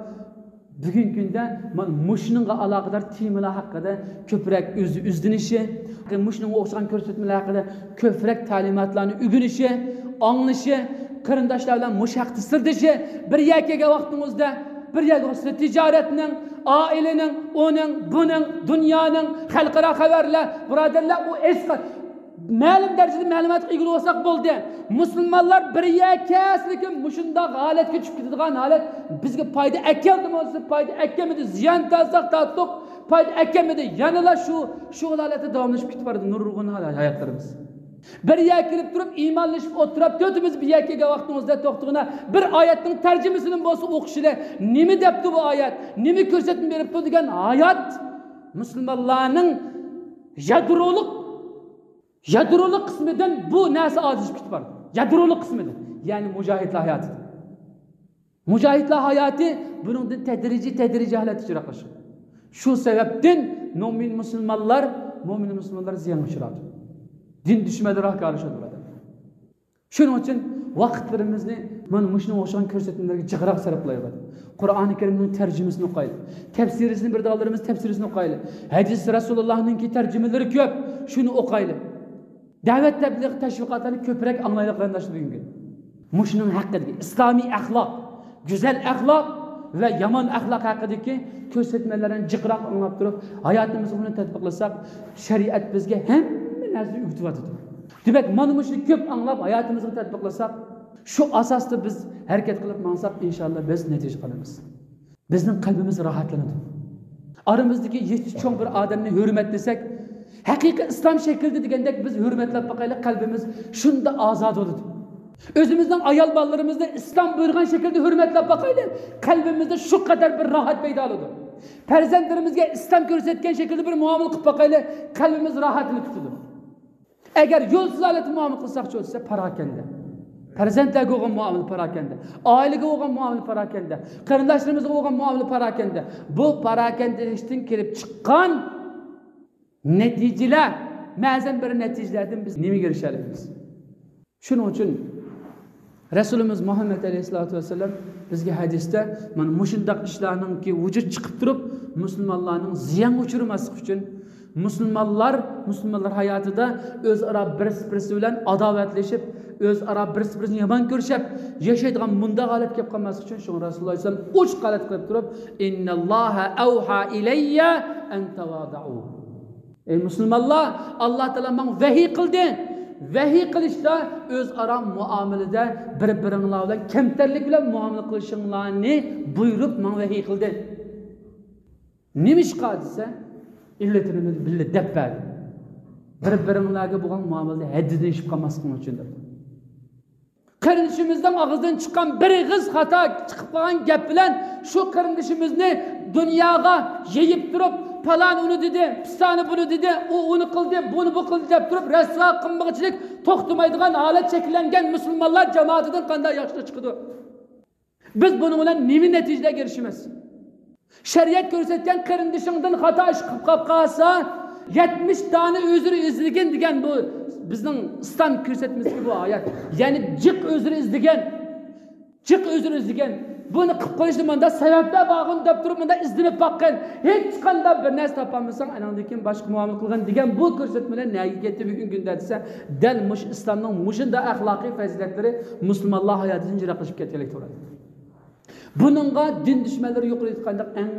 بۈگۈنكى كۈندە مانا مۇشۇنىڭغا ئالاقىدار تېمىلار ھەققىدە كۆپرەك ئۆزى ئىزدىنىشى، مۇشۇنىڭغا ئوخشىغان كۆرسەتمىلەر ھەققىدە كۆپرەك تەلىماتلارنى ئۆگىنىشى، ئاڭلىشى، قېرىنداشلار بىلەن مۇشۇ ھەقتە سىردىشى، بىر يەرگە كەلگەن ۋاقتىڭىزدا، بىر يەرگە ئوخشىسا تىجارەتنىڭ، ئائىلىنىڭ، ئۇنىڭ، بۇنىڭ، دۇنيانىڭ، خەلقئارا خەۋەرلەر، بۇرادەرلەر، ئۇ ئېسقا مەلۇم دەرىجىدە مەلۇماتقا ئىگە بولساق بولدى. مۇسۇلمانلار بىر يەر كەلسە، لېكىن مۇشۇنداق ھالەتكە چۈشۈپ كېتىدىغان ھالەت بىزگە پايدا ئەكەلدىمۇ دېسە، پايدا ئەكەلمىدى، زىيان تارتساق تارتتۇق، پايدا ئەكەلمىدى. يەنىلا شۇ، شۇ ھالەتتە داۋاملىشىپ كېتىپ بارىدۇ نۇرغۇن ھاياتلىرىمىز. بىر يەرگە كېلىپ تۇرۇپ ئىمانلىشىپ ئولتۇرۇپ، تۆتىمىز بىر يەرگە كەلگەن ۋاقتىڭىزدا توختىغىنا، بىر ئايەتنىڭ تەرجىمىسىنى بولسا ئوقۇشىلى، نېمە دەپتۇ بۇ ئايەت، نېمە كۆرسەتمە بېرىپتۇ دېگەن ھايات مۇسۇلمانلارنىڭ يادرولۇق، يادرولۇق قىسمىدىن بۇ نەرسە ئاجىزلىشىپ كېتىپ بارىدۇ. يادرولۇق قىسمىدىن، يەنى مۇجاھىدلار ھاياتىدىن. مۇجاھىدلار ھاياتى بۇنىڭدىن تەدرىجىي، تەدرىجىي ھالەتتە يىراقلىشىدۇ. شۇ سەۋەبتىن مۆمىن مۇسۇلمانلار، مۆمىن مۇسۇلمانلار زىيانغا ئۇچرايدۇ. دىن دۈشمەنلىرى ھاكارلىشىدۇ بۇ ئادەم. شۇنىڭ ئۈچۈن ۋاقىتلىرىمىزنى مانا مۇشۇنىڭغا ئوخشىغان كۆرسەتمىلەرگە جىقراق سەرپلەيلى. قۇرئانى كەرىمنىڭ تەرجىمىسىنى ئوقۇيلى. تەپسىرىسىنى بىر داغلىرىمىز تەپسىرىسىنى ئوقۇيلى. ھەدىس رەسۇلۇللاھنىڭكى تەرجىمىلىرى كۆپ، شۇنى ئوقۇيلى. دەۋەت تەبلىغ تەشۋىقاتلارنى كۆپرەك ئاڭلايلى قېرىنداشلار بۈگۈنكى. مۇشۇنىڭ ھەققىدىكى ئىسلامىي ئەخلاق، گۈزەل ئەخلاق ۋە يامان ئەخلاق ھەققىدىكى كۆرسەتمىلەرنى جىقراق ئاڭلاپ تۇرۇپ، ھاياتىمىزغا بۇنى تەتبىقلىساق، شەرىئەت بىزگە ھەممە نەرسىنى ئۆگىتىۋاتىدۇ. دېمەك، مانا مۇشۇنى كۆپ ئاڭلاپ، ھاياتىمىزغا تەتبىقلىساق، شۇ ئاساستا بىز ھەرىكەت قىلىپ ماڭساق، ئىنشاللا بىز نەتىجە قىلىمىز. بىزنىڭ قەلبىمىز راھەتلىنىدۇ. ئارىمىزدىكى يېتى چوڭ بىر ئادەمنى ھۆرمەتلىسەك، ھەقىقىي ئىسلام شەكلىدە دېگەندەك بىز ھۆرمەتلەپ باقايلى، قەلبىمىز شۇنداق ئازادە بولىدۇ. ئۆزىمىزنىڭ ئايال بالىلىرىمىزنى ئىسلام بۇيرۇغان شەكىلدە ھۆرمەتلەپ باقايلى، قەلبىمىزدە شۇ قەدەر بىر راھەت پەيدا بولىدۇ. پەرزەنتلىرىمىزگە ئىسلام كۆرسەتكەن شەكىلدە بىر مۇئامىلە قىلىپ باقايلى، قەلبىمىز راھەتلىنىپ كېتىدۇ. ئەگەر يولسىز ھالەتتە مۇئامىلە قىلساقچۇ دېسە، پاراكەندە. پەرزەنتلەرگە بولغان مۇئامىلە پاراكەندە. ئائىلىگە بولغان مۇئامىلە پاراكەندە. قېرىنداشلىرىمىزغا بولغان مۇئامىلە پاراكەندە. بۇ پاراكەندىلىكتىن كېلىپ چىققان نەتىجىلەر، مەزەن بىر نەتىجىلەردىن بىز نېمىگە ئېرىشەلەيمىز؟ شۇنىڭ ئۈچۈن رەسۇلىمىز مۇھەممەد ئەلەيھىسسالاتۇ ۋەسسالام بىزگە ھەدىستە، مانا مۇشۇنداق ئىشلارنىڭكى ۋۇجۇد چىقىپ تۇرۇپ، مۇسۇلمانلارنىڭ زىيانغا ئۇچرىماسلىقى ئۈچۈن، مۇسۇلمانلار، مۇسۇلمانلار ھاياتىدا ئۆزئارا بىرسى بىرسى بىلەن ئاداۋەتلىشىپ، ئۆزئارا بىرسى بىرسىنى يامان كۆرۈشۈپ ياشايدىغان مۇنداق ھالەتكە كەپ قالماسلىقى ئۈچۈن، شۇڭا رەسۇلۇللا ئەلەيھىسسالام ئوچۇق ھالەت قىلىپ تۇرۇپ، «ئىنناللاھە ئەۋھا ئىلەييە ئەن تەۋادەئۇ.» ئەي مۇسۇلمانلار، ئاللا تائالا ماڭا ۋەھىي قىلدى. ۋەھىي قىلىشتا ئۆزئارا مۇئامىلىدە بىر-بىرىڭلار بىلەن كەمتەرلىك بىلەن مۇئامىلە قىلىشىڭلارنى بۇيرۇپ ماڭا ۋەھىي قىلدى. نېمىشقا دېسە، ئىللىتىنى بىللە دەپ بەردى. بىر-بىرىڭلارغا بولغان مۇئامىلىدە ھەددىدىن ئېشىپ قالماسلىقىڭ ئۈچۈن دەپ. قېرىندىشىمىزنىڭ ئاغزىدىن چىققان بىر ئېغىز خاتا چىقىپ قالغان گەپ بىلەن شۇ قېرىندىشىمىزنى دۇنياغا يېيىپ تۇرۇپ، پالان ئۇنى دېدى، پىستانى بۇنى دېدى، ئۇ ئۇنى قىلدى، بۇنى بۇ قىلدى دەپ تۇرۇپ، رەسۋا قىلمىغۇچىلىك توختىمايدىغان ھالەت شەكىللەنگەن مۇسۇلمانلار جامائىتىدىن قانداق ياخشىلىق چىقىدۇ؟ بىز بۇنىڭ بىلەن نېمە نەتىجىلەرگە ئېرىشىمىز؟ شەرىئەت كۆرسەتكەن قېرىندىشىڭدىن خاتا ئىش قىلىپ قاپ قالسا، يەتمىش دانە ئۆزرە ئىزدىگىن دېگەن بۇ بىزنىڭ ئىسلام كۆرسەتمىسىدىكى بۇ ئايەت. يەنى جىق ئۆزرە ئىزدىگەن. جىق ئۆزرە ئىزدىگەن. بۇنى قىلىپ قويۇشتا مۇنداق سەۋەبلەر بارغۇ دەپ تۇرۇپ مۇنداق ئىزدىنىپ باققىن. ھېچقانداق بىر نەرسە تاپالمىساڭ، ئاناڭدىن كېيىن باشقا مۇئامىلە قىلغىن دېگەن بۇ كۆرسەتمە بىلەن نەگە كەتتى بۈگۈنكى كۈندە دېسە، دەل مۇشۇ ئىسلامنىڭ مۇشۇنداق ئەخلاقىي پەزىلەتلىرى مۇسۇلمانلار ھاياتىدىن يىراقلىشىپ كەتكەنلىك تۇرىدۇ. بۇنىڭغا دىن دۈشمەنلىرى يۇقىرىدا ئېيتقاندەك ئەڭ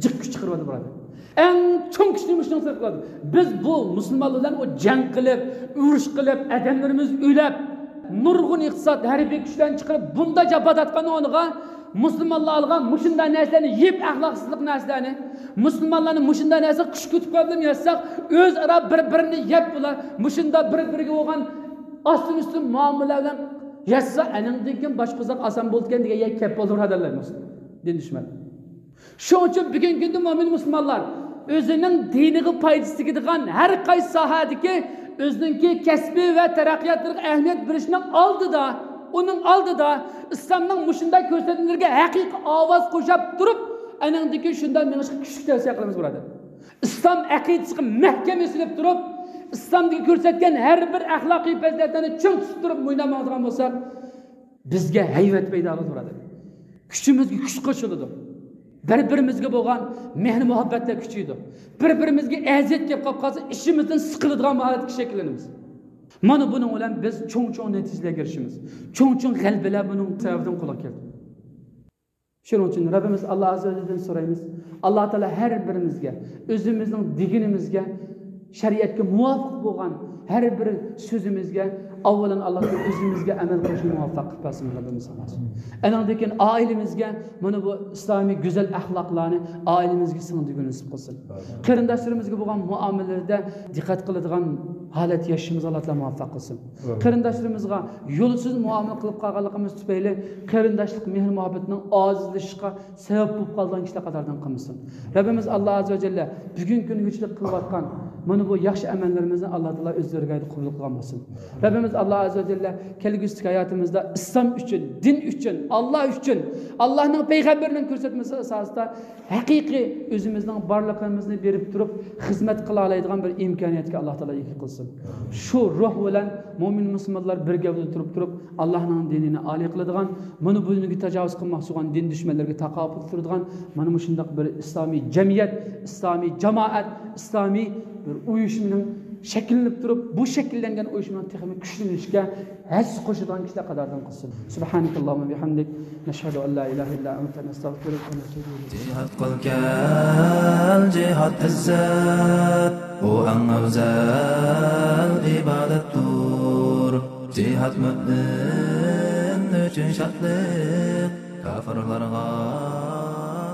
جىق كۈچ چىقىرىۋاتىدۇ بۇ ئادەم. ئەڭ چوڭ كۈچنى مۇشۇنىڭ سەرپ قىلىدۇ. بىز بۇ مۇسۇلمانلار بىلەن ئۇ جەڭ قىلىپ، ئۇرۇش قىلىپ، ئادەملىرىمىز ئۆلۈپ، نۇرغۇن ئىقتىساد، ھەربىي كۈچلەرنى چىقىرىپ، بۇنداق جاپا تارتقان ئورنىغا مۇسۇلمانلارغا مۇشۇنداق نەرسىلەرنى يېيىپ، ئەخلاقسىزلىق نەرسىلەرنى، مۇسۇلمانلارنى مۇشۇنداق نەرسە قىش كۈتۈپ قويۇپ ياتساق، ئۆزئارا بىر-بىرىنى يەپ، بۇلار مۇشۇنداق بىر-بىرىگە بولغان ئاستىن-ئۈستۈن مۇئامىلە بىلەن يەتسە، ئەنىڭدىن كېيىن باشقا ئۇزاق ئاسان بولىدىكەن دېگەن يەرگە كەپ بولدى، بۇرادەرلەر، دىن دۈشمەن. شۇنىڭ ئۈچۈن بۈگۈنكى كۈندە مۆمىن مۇسۇلمانلار ئۆزىنىڭ دىنىغا پايدىسى تېگىدىغان ھەر قايسى ساھەدىكى ئۆزىنىڭكى كەسپى ۋە تەرەققىياتلىرىغا ئەھمىيەت بېرىشنىڭ ئالدىدا، ئۇنىڭ ئالدىدا ئىسلامنىڭ مۇشۇنداق كۆرسەتمىلىرىگە ھەقىقىي ئاۋاز قوشاپ تۇرۇپ، ئەنىڭدىن كېيىن شۇنداق مېڭىشقا كۈچلۈك تەۋسىيە قىلىمىز، بۇرادەر. ئىسلام ئەقىدىسىگە مەھكەم ئېسىلىپ تۇرۇپ، ئىسلامدىكى كۆرسەتكەن ھەر بىر ئەخلاقىي پەزىلەتلەرنى چىڭ تۇتۇپ تۇرۇپ مۇنداق ماڭىدىغان بولساق، بىزگە ھەيۋەت پەيدا بولىدۇ، بۇرادەر. كۈچىمىزگە كۈچ قوشۇلىدۇ. بىر-بىرىمىزگە بولغان مېھىر-مۇھەببەتلەر كۈچىيىدۇ. بىر-بىرىمىزگە ئەزىيەت كېلىپ قاپ قالسا، ئىشىمىزدىن سىقىلىدىغان ھالەتكە شەكىللىنىمىز. مانا بۇنىڭ بىلەن بىز چوڭ-چوڭ نەتىجىلەرگە ئېرىشىمىز. چوڭ-چوڭ غەلىبىلەر بۇنىڭ سەۋەبىدىن قولغا كەلدى. شۇنىڭ ئۈچۈن رەببىمىز ئاللا ئەززە ۋەجەلدىن سورايمىز. ئاللا تائالا ھەر بىرىمىزگە، ئۆزىمىزنىڭ دېگىنىمىزگە، شەرىئەتكە مۇۋاپىق بولغان ھەر بىر سۆزىمىزگە، ئاۋۋالان ئاللا تائالا ئۆزىمىزگە ئەمەل قىلىشنى مۇۋەپپەق قىلىپ بەرسۇن، رەببىمىز ئاللا. ئەنىڭدىن كېيىن ئائىلىمىزگە مانا بۇ ئىسلامىي گۈزەل ئەخلاقلارنى ئائىلىمىزگە سىڭدۈرگىنى نېسىپ قىلسۇن. قېرىنداشلىرىمىزگە بولغان مۇئامىلىلىرىدە دىققەت قىلىدىغان ھالەتتە ياشىشىمىزغا ئاللا تائالا مۇۋەپپەق قىلسۇن. ئامىن. قېرىنداشلىرىمىزغا يولسىز مۇئامىلە قىلىپ قالغانلىقىمىز تۈپەيلى قېرىنداشلىق مېھىر مۇھەببىتىنىڭ ئاجىزلىشىشقا سەۋەب بولۇپ قالىدىغان كىشىلەر قاتارىدىن قىلمىسۇن. رەببىمىز ئاللا ئەززە ۋە جەللە بۈگۈنكى كۈنگىچىلىك قىلىۋاتقان مانا بۇ ياخشى ئەمەللىرىمىزنى ئاللا تائالا ئۆز دەرگاھىدا قوبۇل قىلغان بولسۇن. رەببىمىز ئاللا ئەززە ۋە جەللە كەلگۈسىدىكى ھاياتىمىزدا ئىسلام ئۈچۈن، دىن ئۈچۈن، ئاللا ئۈچۈن، ئاللانىڭ پەيغەمبىرىنىڭ كۆرسەتمىسى ئاساسىدا ھەقىقىي ئۆزىمىزنىڭ بارلىقىمىزنى بېرىپ تۇرۇپ خىزمەت قىلالايدىغان بىر ئىمكانىيەتكە ئاللا تائالا ئىگە قىلسۇن. شۇ روھ بىلەن مۆمىن مۇسۇلمانلار بىر گەۋدىدە تۇرۇپ تۇرۇپ، ئاللانىڭ دىنىنى ئالىي قىلىدىغان، مانا بۇنىڭغا تاجاۋۇز قىلماقچى بولغان دىن دۈشمەنلىرىگە تاقابىل تۇرىدىغان، مانا مۇشۇنداق بىر ئىسلامىي جەمئىيەت، ئىسلامىي جامائەت، ئىسلامىي بىر ئۇيۇشمىنىڭ شەكىللىنىپ تۇرۇپ، بۇ شەكىللەنگەن ئۇيۇشمىنىڭ تېخىمۇ كۈچلىنىشىگە ھەسسە قوشىدىغان كىشىلەر قاتارىدىن قىلسۇن. سبحانك اللهم وبحمدك، نشهد أن لا إله إلا أنت، نستغفرك ونتوب إليك. جىھاد قىل كەل، جىھاد ئىززەت، ئۇ ئەڭ ئەۋزەل ئىبادەتتۇر. جىھاد مۆمىن ئۈچۈن شادلىق، كاپىرلارغا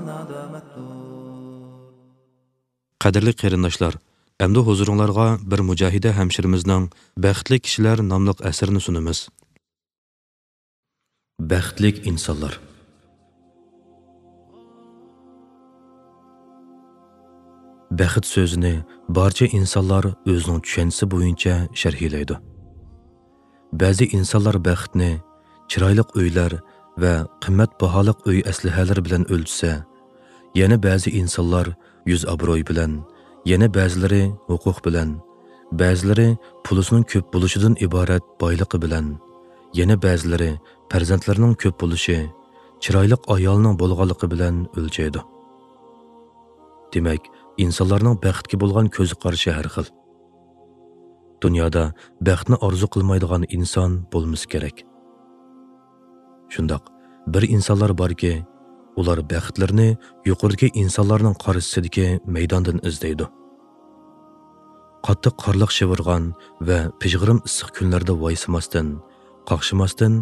نادامەتتۇر. قەدىرلىك قېرىنداشلار، ئەمدى ھۇزۇرۇڭلارغا بىر مۇجاھىدە ھەمشىرىمىزنىڭ بەختلىك كىشىلەر ناملىق ئەسىرىنى سۇنىمىز. بەختلىك ئىنسانلار. بەخت سۆزىنى بارچە ئىنسانلار ئۆزىنىڭ چۈشەنچىسى بويىچە شەرھلەيدۇ. بەزى ئىنسانلار بەختنى چىرايلىق ئۆيلەر ۋە قىممەت باھالىق ئۆي ئەسلىھەلىرى بىلەن ئۆلچىسە، يەنە بەزى ئىنسانلار يۈز ئابرۇي بىلەن، يەنە بەزىلىرى ھوقۇق بىلەن، بەزىلىرى پۇلىسىنىڭ كۆپ بولۇشىدىن ئىبارەت بايلىقى بىلەن، يەنە بەزىلىرى پەرزەنتلىرىنىڭ كۆپ بولۇشى، چىرايلىق ئايالىنىڭ بولغانلىقى بىلەن ئۆلچەيدۇ. دېمەك، ئىنسانلارنىڭ بەختكە بولغان كۆز قارىشى ھەر خىل. دۇنيادا بەختنى ئارزۇ قىلمايدىغان ئىنسان بولمىسا كېرەك. شۇنداق، بىر ئىنسانلار باركى، ئۇلار بەختلىرىنى يۇقىرىدىكى ئىنسانلارنىڭ قارىشىسىدىكى مەيداندىن ئىزدەيدۇ. قاتتىق قارلىق شىۋىرغان ۋە پىژغىرىم ئىسسىق كۈنلەردە ۋايسىماستىن، قاقشىماستىن،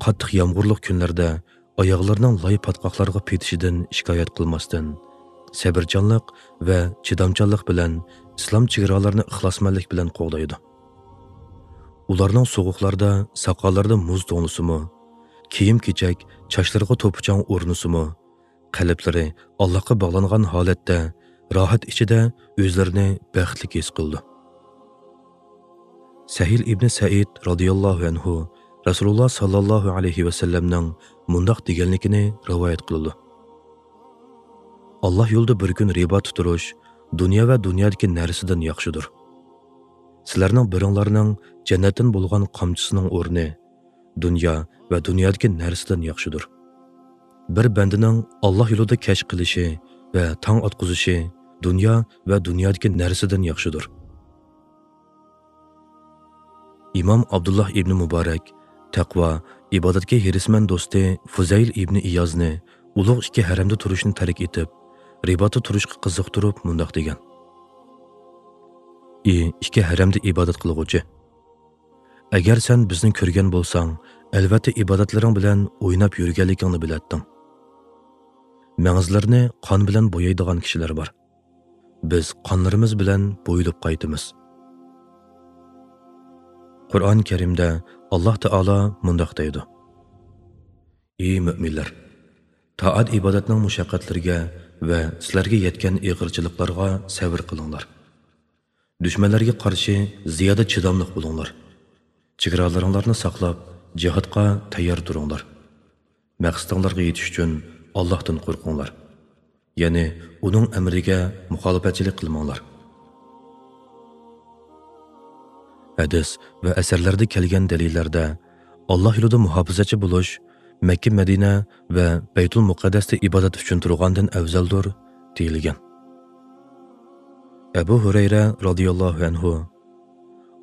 قاتتىق يامغۇرلۇق كۈنلەردە ئاياغلىرىنىڭ لاي پاتقاقلارغا پېتىشىدىن شىكايەت قىلماستىن، سەۋرچانلىق ۋە چىدامچانلىق بىلەن ئىسلام چېگرالىرىنى ئىخلاسمەنلىك بىلەن قوغدايدۇ. ئۇلارنىڭ سوغۇقلاردا ساقاللىرىدا مۇز توڭلىسىمۇ، كىيىم-كېچەك چاچلىرىغا توپا-چاڭ ئورنىسىمۇ، قەلبلىرى ئاللاھقا باغلانغان ھالەتتە راھەت ئىچىدە ئۆزلىرىنى بەختلىك ھېس قىلىدۇ. سەھىل ئىبنى سەئىد رازىياللاھۇ ئەنھۇ رەسۇلۇللا ساللاللاھۇ ئەلەيھى ۋەسەللەمنىڭ مۇنداق دېگەنلىكىنى رىۋايەت قىلىدۇ: ئاللاھ يولىدا بىر كۈن رىباتتا تۇرۇش دۇنيا ۋە دۇنيادىكى نەرسىدىن ياخشىدۇر. سىلەرنىڭ بىرىڭلارنىڭ جەننەتتىن بولغان قامچىسىنىڭ ئورنى دۇنيا ۋە دۇنيادىكى نەرسىدىن ياخشىدۇر. بىر بەندىنىڭ ئاللاھ يولىدا كەچ قىلىشى ۋە تاڭ ئاتقۇزۇشى دۇنيا ۋە دۇنيادىكى نەرسىدىن ياخشىدۇر. ئىمام ئابدۇللاھ ئىبنى مۇبارەك تەقۋا، ئىبادەتكە ھېرىسمەن دوستى فۇزەيل ئىبنى ئىيازنى ئۇلۇغ ئىككى ھەرەمدە تۇرۇشنى تەرك ئېتىپ، رىباتتا تۇرۇشقا قىزىقتۇرۇپ مۇنداق دېگەن: ئى ئىككى ھەرەمدە ئىبادەت قىلغۇچى! ئەگەر سەن بىزنى كۆرگەن بولساڭ، ئەلۋەتتە ئىبادەتلىرىڭ بىلەن ئويناپ يۈرگەنلىكىڭنى بىلەتتىڭ. مەڭزىلىرىنى قان بىلەن بويايدىغان كىشىلەر بار. بىز قانلىرىمىز بىلەن بويىلىپ قايتىمىز. قۇرئان كەرىمدە ئاللاھ تائالا مۇنداق دەيدۇ: ئى مۆمىنلەر! تائەت-ئىبادەتنىڭ مۇشەققەتلىرىگە ۋە سىلەرگە يەتكەن ئېغىرچىلىقلارغا سەۋر قىلىڭلار. دۈشمەنلەرگە قارشى زىيادە چىداملىق بولۇڭلار. چېگرالىرىڭلارنى ساقلاپ، جىھادقا تەييار تۇرۇڭلار. مەقسىتىڭلارغا يېتىش ئۈچۈن ئاللاھتىن قورقۇڭلار. يەنى ئۇنىڭ ئەمرىگە مۇخالىپەتچىلىك قىلماڭلار. ھەدىس ۋە ئەسەرلەردە كەلگەن دەلىللەردە ئاللاھ يولىدا مۇھاپىزەتچى بولۇش مەككە، مەدىنە ۋە بەيتۇل مۇقەددەستە ئىبادەت ئۈچۈن تۇرغاندىن ئەۋزەلدۇر دېيىلگەن. ئەبۇ ھۇرەيرە رازىياللاھۇ ئەنھۇ: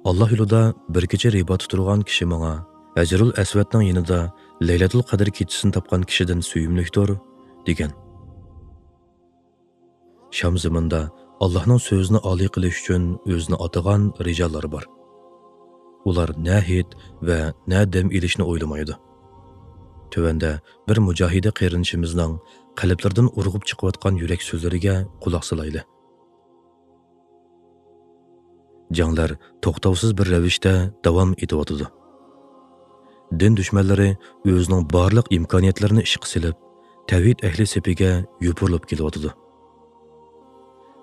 ئاللاھ يولىدا بىر كېچە رىباتتا تۇرغان كىشى ماڭا ھەجىرۇل ئەسۋەدنىڭ يېنىدا لەيلەتۇل قەدىر كېچىسىنى تاپقان كىشىدىن سۆيۈملۈكتۇر، دېگەن. شام زېمىندا ئاللاھنىڭ سۆزىنى ئالىي قىلىش ئۈچۈن ئۆزىنى ئاتىغان رىجاللار بار. ئۇلار نە ھېيت ۋە نە دەم ئېلىشنى ئويلىمايدۇ. تۆۋەندە بىر مۇجاھىدە قېرىندىشىمىزنىڭ قەلبلىرىدىن ئۇرغۇپ چىقىۋاتقان يۈرەك سۆزلىرىگە قۇلاق سالايلى. جەڭلەر توختاۋسىز بىر رەۋىشتە داۋام ئېتىۋاتىدۇ. دىن دۈشمەنلىرى ئۆزىنىڭ بارلىق ئىمكانىيەتلىرىنى ئىشقا سېلىپ، تەۋھىد ئەھلى سېپىگە يوپۇرۇلۇپ كېلىۋاتىدۇ.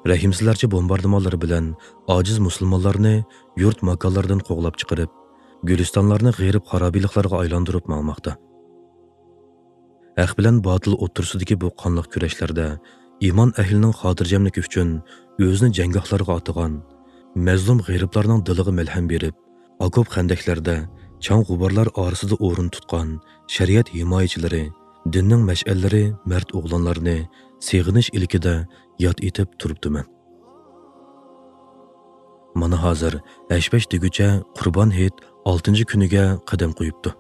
رەھىمسىزلەرچە بومباردىمانلىرى بىلەن ئاجىز مۇسۇلمانلارنى يۇرت ماكانلىرىدىن قوغلاپ چىقىرىپ، گۈلىستانلارنى غېرىب خارابىلىكلارغا ئايلاندۇرۇپ ماڭماقتا. ھەق بىلەن باتىل ئوتتۇرىسىدىكى بۇ قانلىق كۈرەشلەردە ئىمان ئەھلىنىڭ خاتىرجەملىكى ئۈچۈن ئۆزىنى جەڭگاھلارغا ئاتىغان، مەزلۇم غېرىبلارنىڭ دىلىغا مەلھەم بېرىپ، ئاكوپ خەندەكلەردە چاڭ غۇبارلار ئارىسىدا ئورۇن تۇتقان شەرىئەت ھىمايىچىلىرى، دىننىڭ مەشئەللىرى مەرد ئوغلانلارنى سېغىنىش ئىلكىدە ياد ئېتىپ تۇرۇپتىمەن. مانا ھازىر ھەش-پەش دېگۈچە قۇربان ھېيت ئالتىنچى كۈنىگە قەدەم قويۇپتۇ.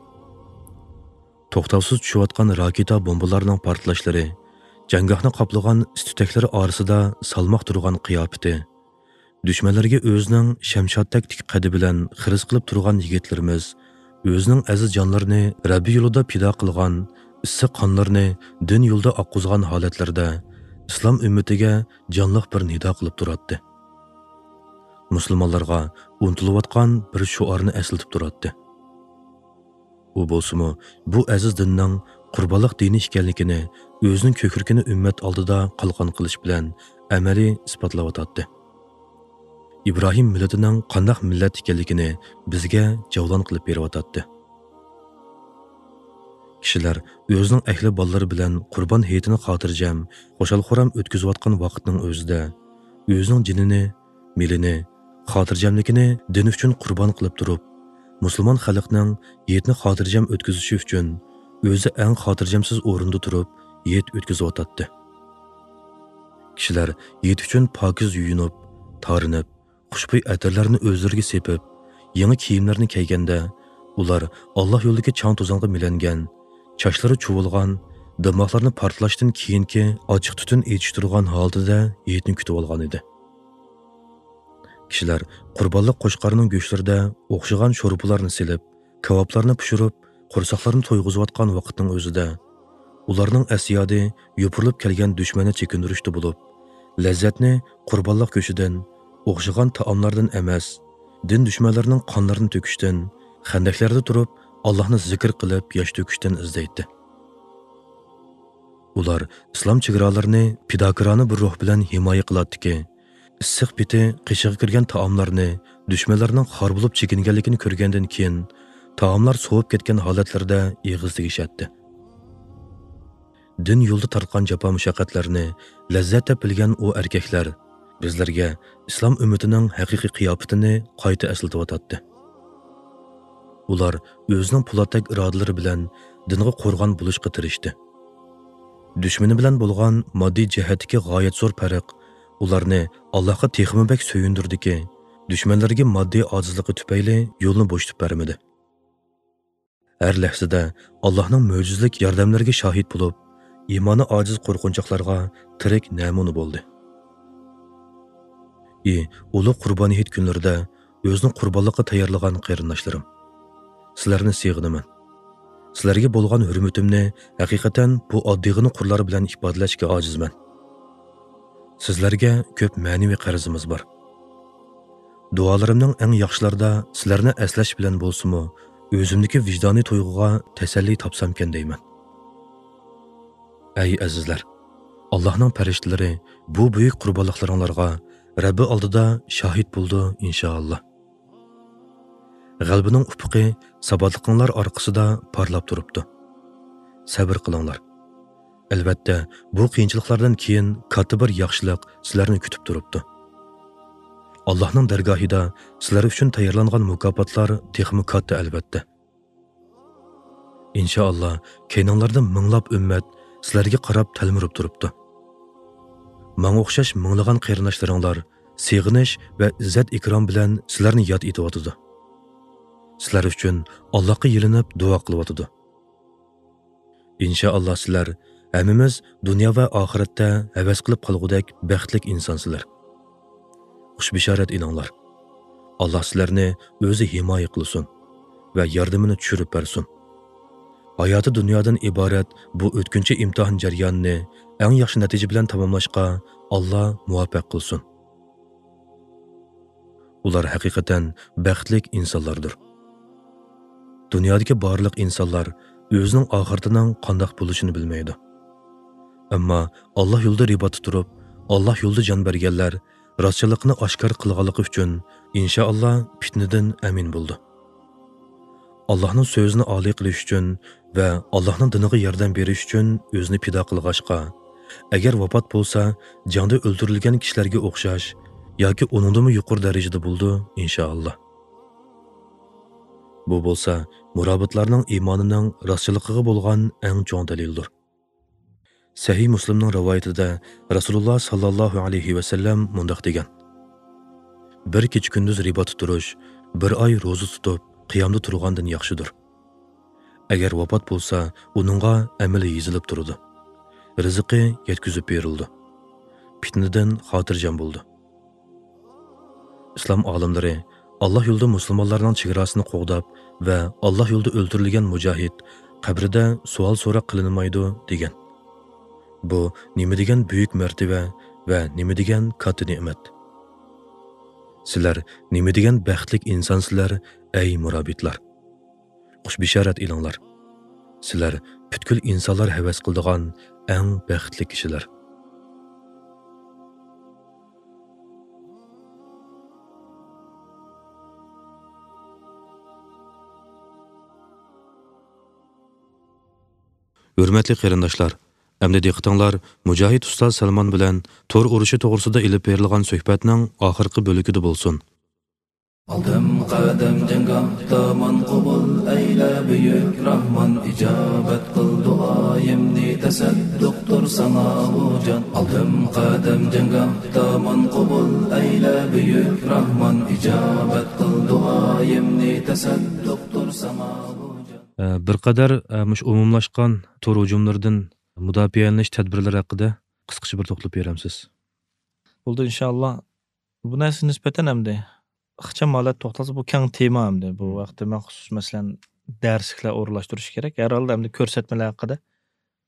توختاۋسىز چۈشۈۋاتقان راكېتا بومبىلارنىڭ پارتلاشلىرى، جەڭگاھنى قاپلىغان ئىس-تۈتەكلىرى ئارىسىدا سالماق تۇرغان قىياپىتى، دۈشمەنلەرگە ئۆزىنىڭ شەمشادتەك تىك قەدى بىلەن خىرىس قىلىپ تۇرغان يىگىتلىرىمىز ئۆزىنىڭ ئەزىز جانلىرىنى رەببى يولىدا پىدا قىلغان، ئىسسىق قانلىرىنى دىن يولىدا ئاققۇزغان ھالەتلىرىدە ئىسلام ئۈممىتىگە جانلىق بىر نىدا قىلىپ تۇراتتى. مۇسۇلمانلارغا ئۇنتۇلۇۋاتقان بىر شوئارنى ئەسلىتىپ تۇراتتى. ئۇ بولسىمۇ بۇ ئەزىز دىننىڭ قۇربانلىق دىنى ئىكەنلىكىنى ئۆزىنىڭ كۆكرىكىنى ئۈممەت ئالدىدا قالقان قىلىش بىلەن ئەمەلىي ئىسپاتلاۋاتاتتى. ئىبراھىم مىللىتىنىڭ قانداق مىللەت ئىكەنلىكىنى بىزگە جەۋلان قىلىپ بېرىۋاتاتتى. كىشىلەر ئۆزىنىڭ ئەھلى بالىلىرى بىلەن قۇربان ھېيتىنى خاتىرجەم، خۇشال-خۇرام ئۆتكۈزۈۋاتقان ۋاقىتنىڭ ئۆزىدە ئۆزىنىڭ جېنىنى، مېلىنى، خاتىرجەملىكىنى دىن ئۈچۈن قۇربان قىلىپ تۇرۇپ، مۇسۇلمان خەلقنىڭ ھېيتنى خاتىرجەم ئۆتكۈزۈشى ئۈچۈن ئۆزى ئەڭ خاتىرجەمسىز ئورۇندا تۇرۇپ ھېيت ئۆتكۈزۈۋاتاتتى. كىشىلەر ھېيت ئۈچۈن پاكىز يۇيۇنۇپ، تارىنىپ، خۇشبۇي ئەتىرلەرنى ئۆزلىرىگە سېپىپ، يېڭى كىيىملەرنى كىيگەندە، ئۇلار ئاللا يولىدىكى چاڭ-توزانغا مىلەنگەن، چاچلىرى چۇۋۇلغان، دىماقلىرىنى پارتلاشتىن كېيىنكى ئاچچىق تۈتۈن ئېچىشتۇرغان ھالىتىدە ھېيتنى كۈتۈۋالغانىدى. كىشىلەر قۇربانلىق قوچقارنىڭ گۆشلىرىدە ئوخشىغان شورپىلارنى سېلىپ، كاۋاپلارنى پىشۇرۇپ، قورساقلىرىنى تويغۇزۇۋاتقان ۋاقىتنىڭ ئۆزىدە، ئۇلارنىڭ ئەس-يادى يوپۇرۇلۇپ كەلگەن دۈشمەننى چېكىندۈرۈشتە بولۇپ، لەززەتنى قۇربانلىق گۆشىدىن، ئوخشىغان تائاملاردىن ئەمەس، دىن دۈشمەنلىرىنىڭ قانلىرىنى تۆكۈشتىن، خەندەكلەردە تۇرۇپ ئاللاھنى زىكىر قىلىپ ياش تۆكۈشتىن ئىزدەيتتى. ئۇلار ئىسلام چېگرالىرىنى پىداكارانە بىر روھ بىلەن ھىمايە قىلاتتىكى، ئىسسىق پېتى قېشىغا كىرگەن تائاملارنى دۈشمەنلەرنىڭ خار بولۇپ چېكىنگەنلىكىنى كۆرگەندىن كېيىن، تائاملار سوۋۇپ كەتكەن ھالەتلىرىدە ئېغىز تېگىشەتتى. دىن يولىدا تارتقان جاپا-مۇشەققەتلەرنى لەززەت دەپ بىلگەن ئۇ ئەركەكلەر بىزلەرگە ئىسلام ئۈممىتىنىڭ ھەقىقىي قىياپىتىنى قايتا ئەسلىتىۋاتاتتى. ئۇلار ئۆزىنىڭ پولاتتەك ئىرادىلىرى بىلەن دىنغا قورغان بولۇشقا تىرىشتى. دۈشمىنى بىلەن بولغان ماددىي جەھەتتىكى غايەت زور پەرق ئۇلارنى ئاللاھقا تېخىمۇ بەك سۆيۈندۈردىكى، دۈشمەنلىرىگە ماددىي ئاجىزلىقى تۈپەيلى يولنى بوشىتىپ بەرمىدى. ھەر لەھزىدە ئاللاھنىڭ مۆجىزىلىك ياردەملىرىگە شاھىت بولۇپ، ئىمانى ئاجىز قورقۇنچاقلارغا تىرىك نەمۇنە بولدى. ئى، ئۇلۇغ قۇربان ھېيت كۈنلىرىدە ئۆزىنى قۇربانلىققا تەييارلىغان قېرىنداشلىرىم! سىلەرنى سېغىنىمەن. سىلەرگە بولغان ھۆرمىتىمنى ھەقىقەتەن بۇ ئاددىيغىنا قۇرلار بىلەن ئىپادىلەشكە ئاجىزمەن. سىزلەرگە كۆپ مەنىۋى قەرزىمىز بار. دۇئالىرىمنىڭ ئەڭ ياخشىلىرىدا سىلەرنى ئەسلەش بىلەن بولسىمۇ، ئۆزۈمدىكى ۋىجدانىي تۇيغۇغا تەسەللى تاپسامكەن دەيمەن. ئەي ئەزىزلەر! ئاللاھنىڭ پەرىشتىلىرى بۇ بۈيۈك قۇربانلىقلىرىڭلارغا رەببى ئالدىدا شاھىت بولىدۇ، ئىنشائاللا. غەلىبىنىڭ ئۇپۇقى ساباتلىقىڭلار ئارقىسىدا پارلاپ تۇرۇپتۇ. سەۋر قىلىڭلار. ئەلۋەتتە، بۇ قىيىنچىلىقلاردىن كېيىن كاتتا بىر ياخشىلىق سىلەرنى كۈتۈپ تۇرۇپتۇ. ئاللاھنىڭ دەرگاھىدا سىلەر ئۈچۈن تەييارلانغان مۇكاپاتلار تېخىمۇ كاتتا، ئەلۋەتتە. ئىنشائاللا، كەينىڭلاردا مىڭلاپ ئۈممەت سىلەرگە قاراپ تەلمۈرۈپ تۇرۇپتۇ. ماڭا ئوخشاش مىڭلىغان قېرىنداشلىرىڭلار سېغىنىش ۋە ئىززەت-ئىكرام بىلەن سىلەرنى ياد ئېتىۋاتىدۇ. سىلەر ئۈچۈن ئاللاھقا يېلىنىپ دۇئا قىلىۋاتىدۇ. ئىنشائاللا، سىلەر ھەممىمىز دۇنيا ۋە ئاخىرەتتە ھەۋەس قىلىپ قالغۇدەك بەختلىك ئىنسانسىلەر. خۇش بېشارەت ئېلىڭلار. ئاللاھ سىلەرنى ئۆزى ھىمايە قىلسۇن ۋە ياردىمىنى چۈشۈرۈپ بەرسۇن. ھاياتى دۇنيادىن ئىبارەت بۇ ئۆتكۈنچى ئىمتىھان جەريانىنى ئەڭ ياخشى نەتىجە بىلەن تاماملاشقا ئاللاھ مۇۋەپپەق قىلسۇن. ئۇلار ھەقىقەتەن بەختلىك ئىنسانلاردۇر. دۇنيادىكى بارلىق ئىنسانلار ئۆزىنىڭ ئاخىرىتىنىڭ قانداق بولۇشىنى بىلمەيدۇ. ئەمما ئاللا يولىدا رىباتتا تۇرۇپ، ئاللا يولىدا جان بەرگەنلەر راستچىللىقنى ئاشكارا قىلغانلىقى ئۈچۈن، ئىنشائاللا، پىتنىدىن ئەمىن بولىدۇ. ئاللاھنىڭ سۆزىنى ئالىي قىلىش ئۈچۈن ۋە ئاللاھنىڭ دىنىغا ياردەم بېرىش ئۈچۈن ئۆزىنى پىدا قىلغاچقا، ئەگەر ۋاپات بولسا، جەڭدە ئۆلتۈرۈلگەن كىشىلەرگە ئوخشاش ياكى ئۇنىڭدىنمۇ يۇقىرى دەرىجىدە بولىدۇ، ئىنشائاللا. بۇ بولسا مۇرابىتلارنىڭ ئىمانىنىڭ راستچىللىقىغا بولغان ئەڭ چوڭ دەلىلدۇر. سەھىھ مۇسلىمنىڭ رىۋايىتىدە رەسۇلۇللا ساللاللاھۇ ئەلەيھى ۋەسەللەم مۇنداق دېگەن: «بىر كېچە-كۈندۈز رىباتتا تۇرۇش، بىر ئاي روزا تۇتۇپ، قىيامدا تۇرغاندىن ياخشىدۇر. ئەگەر ۋاپات بولسا، ئۇنىڭغا ئەمىلى يېزىلىپ تۇرىدۇ. رىزقى يەتكۈزۈپ بېرىلىدۇ. پىتنىدىن خاتىرجەم بولىدۇ.» ئىسلام ئالىملىرى ئاللا يولىدا مۇسۇلمانلارنىڭ چېگراسىنى قوغداپ ۋە ئاللا يولىدا ئۆلتۈرۈلگەن مۇجاھىد قەبرىدە سوئال-سوراق قىلىنمايدۇ دېگەن. بۇ نېمە دېگەن بۈيۈك مەرتىۋە ۋە نېمە دېگەن كاتتا نېمەت! سىلەر نېمە دېگەن بەختلىك ئىنسانسىلەر، ئەي مۇرابىتلار! خۇش بېشارەت ئېلىڭلار! سىلەر پۈتكۈل ئىنسانلار ھەۋەس قىلىدىغان ئەڭ بەختلىك كىشىلەر. ھۆرمەتلىك قېرىنداشلار، ئەمدى دىققىتىڭلار مۇجاھىد ئۇستاز سەلمان بىلەن تور ئۇرۇشى توغرىسىدا ئېلىپ بېرىلغان سۆھبەتنىڭ ئاخىرقى بۆلىكىدە بولسۇن. ئالدىم قەدەم جەڭگاھتا ماڭا قوبۇل ئەيلە بۈيۈك راھمان، ئىجابەت قىل دۇئايىمنى، تەسەددۇقتۇر ساڭا بۇ جان. ئالدىم قەدەم جەڭگاھتا ماڭا قوبۇل ئەيلە بۈيۈك راھمان، ئىجابەت قىل دۇئايىمنى، تەسەددۇقتۇر ساڭا بۇ جان. ئە، بىر قەدەر، ئە، مۇشۇ ئومۇملاشقان تور ھۇجۇملىرىدىن مۇداپىئەلىنىش تەدبىرلىرى ھەققىدە قىسقىچە بىر توختىلىپ بېرەمسىز؟ بولدى، ئىنشائاللا. بۇ نەرسىگە نىسبەتەن ئەمدى ئىخچام ھالەتتە توختالسا، بۇ كەڭ تېما ئەمدى. بۇ مم. ھەقتە مەخسۇس، مەسىلەن، دەرسلىكلەر ئورۇنلاشتۇرۇش كېرەك. ھەر ھالدا ئەمدى كۆرسەتمىلەر ھەققىدە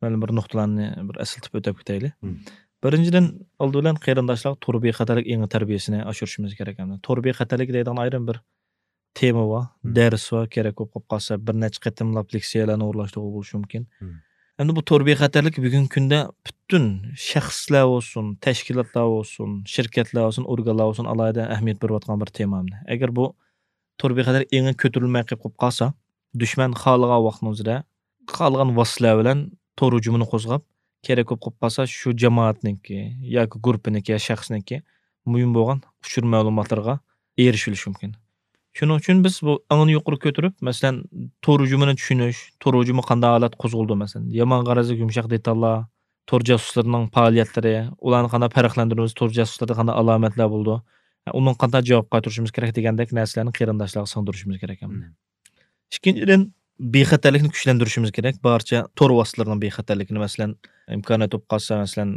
مەلۇم بىر نۇقتىلارنى بىر ئەسلىتىپ ئۆتۈپ كېتەيلى. مم. بىرىنچىدىن، ئالدى بىلەن قېرىنداشلارغا تور بىخەتەرلىك ئېڭى تەربىيەسىنى ئاشۇرۇشىمىز كېرەك ئەمدى. تور بىخەتەرلىكى دەيدىغان ئايرىم بىر تېما بار، مم. دەرس بار، كېرەك بولۇپ قالسا بىر نەچچە قېتىملاپ لېكسىيەلەرنى ئورۇنلاشتۇرغىلى بولۇشى مۇمكىن. مم. ئەمدى بۇ تور بىخەتەرلىكى بۈگۈنكى كۈندە پۈتۈن شەخسلەر بولسۇن، تەشكىلاتلار بولسۇن، شىركەتلەر بولسۇن، ئورگانلار بولسۇن، ئالاھىدە ئەھمىيەت بېرىۋاتقان بىر تېما ئەمدى. ئەگەر بۇ تور بىخەتەرلىك ئېڭى كۆتۈرۈلمەي قېلىپ قالسا، دۈشمەن خالىغان ۋاقىتنىڭ ئۆزىدە خالىغان ۋاسىتىلەر بىلەن تور ھۇجۇمىنى قوزغاپ، كېرەك بولۇپ قېلىپ قالسا، شۇ جامائەتنىڭكى ياكى گۇرۇپپىنىڭكى يا شەخسنىڭكى مۇھىم بولغان ئۇچۇر مەلۇماتلىرىغا ئېرىشىۋېلىشى مۇمكىن. شۇنىڭ ئۈچۈن بىز بۇ ئېڭىنى يۇقىرى كۆتۈرۈپ، مەسىلەن، تور ھۇجۇمىنى چۈشىنىش، تور ھۇجۇمى قانداق ھالەتتە قوزغىلىدۇ، مەسىلەن، يامان غەرەزلىك يۇمشاق دېتاللار، تور جاسۇسلىرىنىڭ پائالىيەتلىرى، ئۇلارنى قانداق پەرقلەندۈرىمىز، تور جاسۇسلىرىدا قانداق ئالامەتلەر بولىدۇ، ئۇنىڭغا قانداق جاۋاب قايتۇرۇشىمىز كېرەك دېگەندەك نەرسىلەرنى قېرىنداشلارغا سىڭدۈرۈشىمىز كېرەك ئەمدى. مم. ئىككىنچىدىن، بىخەتەرلىكنى كۈچلەندۈرۈشىمىز كېرەك. بارچە تور ۋاسىتىلىرىنىڭ بىخەتەرلىكىنى، مەسىلەن، ئىمكانىيەت بولۇپ قالسا، مەسىلەن،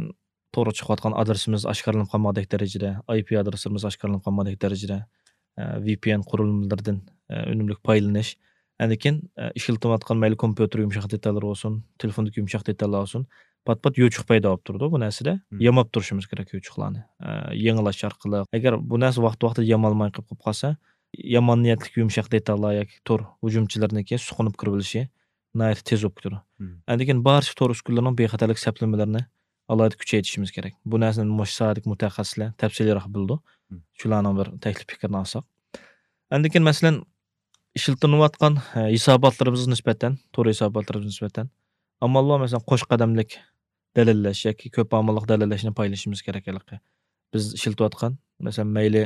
تورغا چىقىۋاتقان ئادرېسىمىز ئاشكارىلىنىپ قالمىغۇدەك دەرىجىدە، ئاي پى ئادرېسلىرىمىز ئاشكارىلىنىپ قالمىغۇدەك دەرىجىدە، ئە، ۋى پى ئېن قۇرۇلمىلىرىدىن، ئە، ئۈنۈملۈك پايدىلىنىش. ئاندىن كېيىن، ئە، ئىشلىتىۋاتقان مەيلى كومپيۇتېر يۇمشاق دېتاللىىرى بولسۇن، تېلېفوندىكى يۇمشاق دېتاللار بولسۇن، پات-پات يوچۇق پەيدا بولۇپ تۇرىدۇ بۇ نەرسىدە. مم. ياماپ تۇرۇشىمىز كېرەك يوچۇقلارنى، ئە، يېڭىلاش ئارقىلىق. ئەگەر بۇ نەرسە ۋاقتى-ۋاقتىدا يامالماي قېلىپ قالسا، يامان نىيەتلىك يۇمشاق دېتاللار ياكى تور ھۇجۇمچىلىرىنىڭكى سۇقۇنۇپ كىرىۋېلىشى ناھايىتى تېز بولۇپ كېتىدۇ. مم. ئاندىن كېيىن بارچە تور ئۈسكۈنىلىرىنىڭ بىخەتەرلىك سەپلىمىلىرىنى ئالاھىدە كۈچەيتىشىمىز كېرەك. بۇ نەرسىنى مۇشۇ ساھەدىكى مۇتەخەسسىسلەر تەپسىلىيرەك بىلىدۇ. مم. شۇلارنىڭ بىر تەكلىپ پىكرىنى ئالساق. ئاندىن كېيىن، مەسىلەن، ئىشلىتىلىۋاتقان، ھە، ھېساباتلىرىمىزغا نىسبەتەن، تور ھېساباتلىرىمىزغا نىسبەتەن، ئامال بار، مەسىلەن، قوش قەدەملىك دەلىللەش ياكى كۆپ ئامىللىق دەلىللەشنى پايدىلىنىشىمىز كېرەك ھېلىقى. بىز ئىشلىتىۋاتقان، مەسىلەن، مەيلى،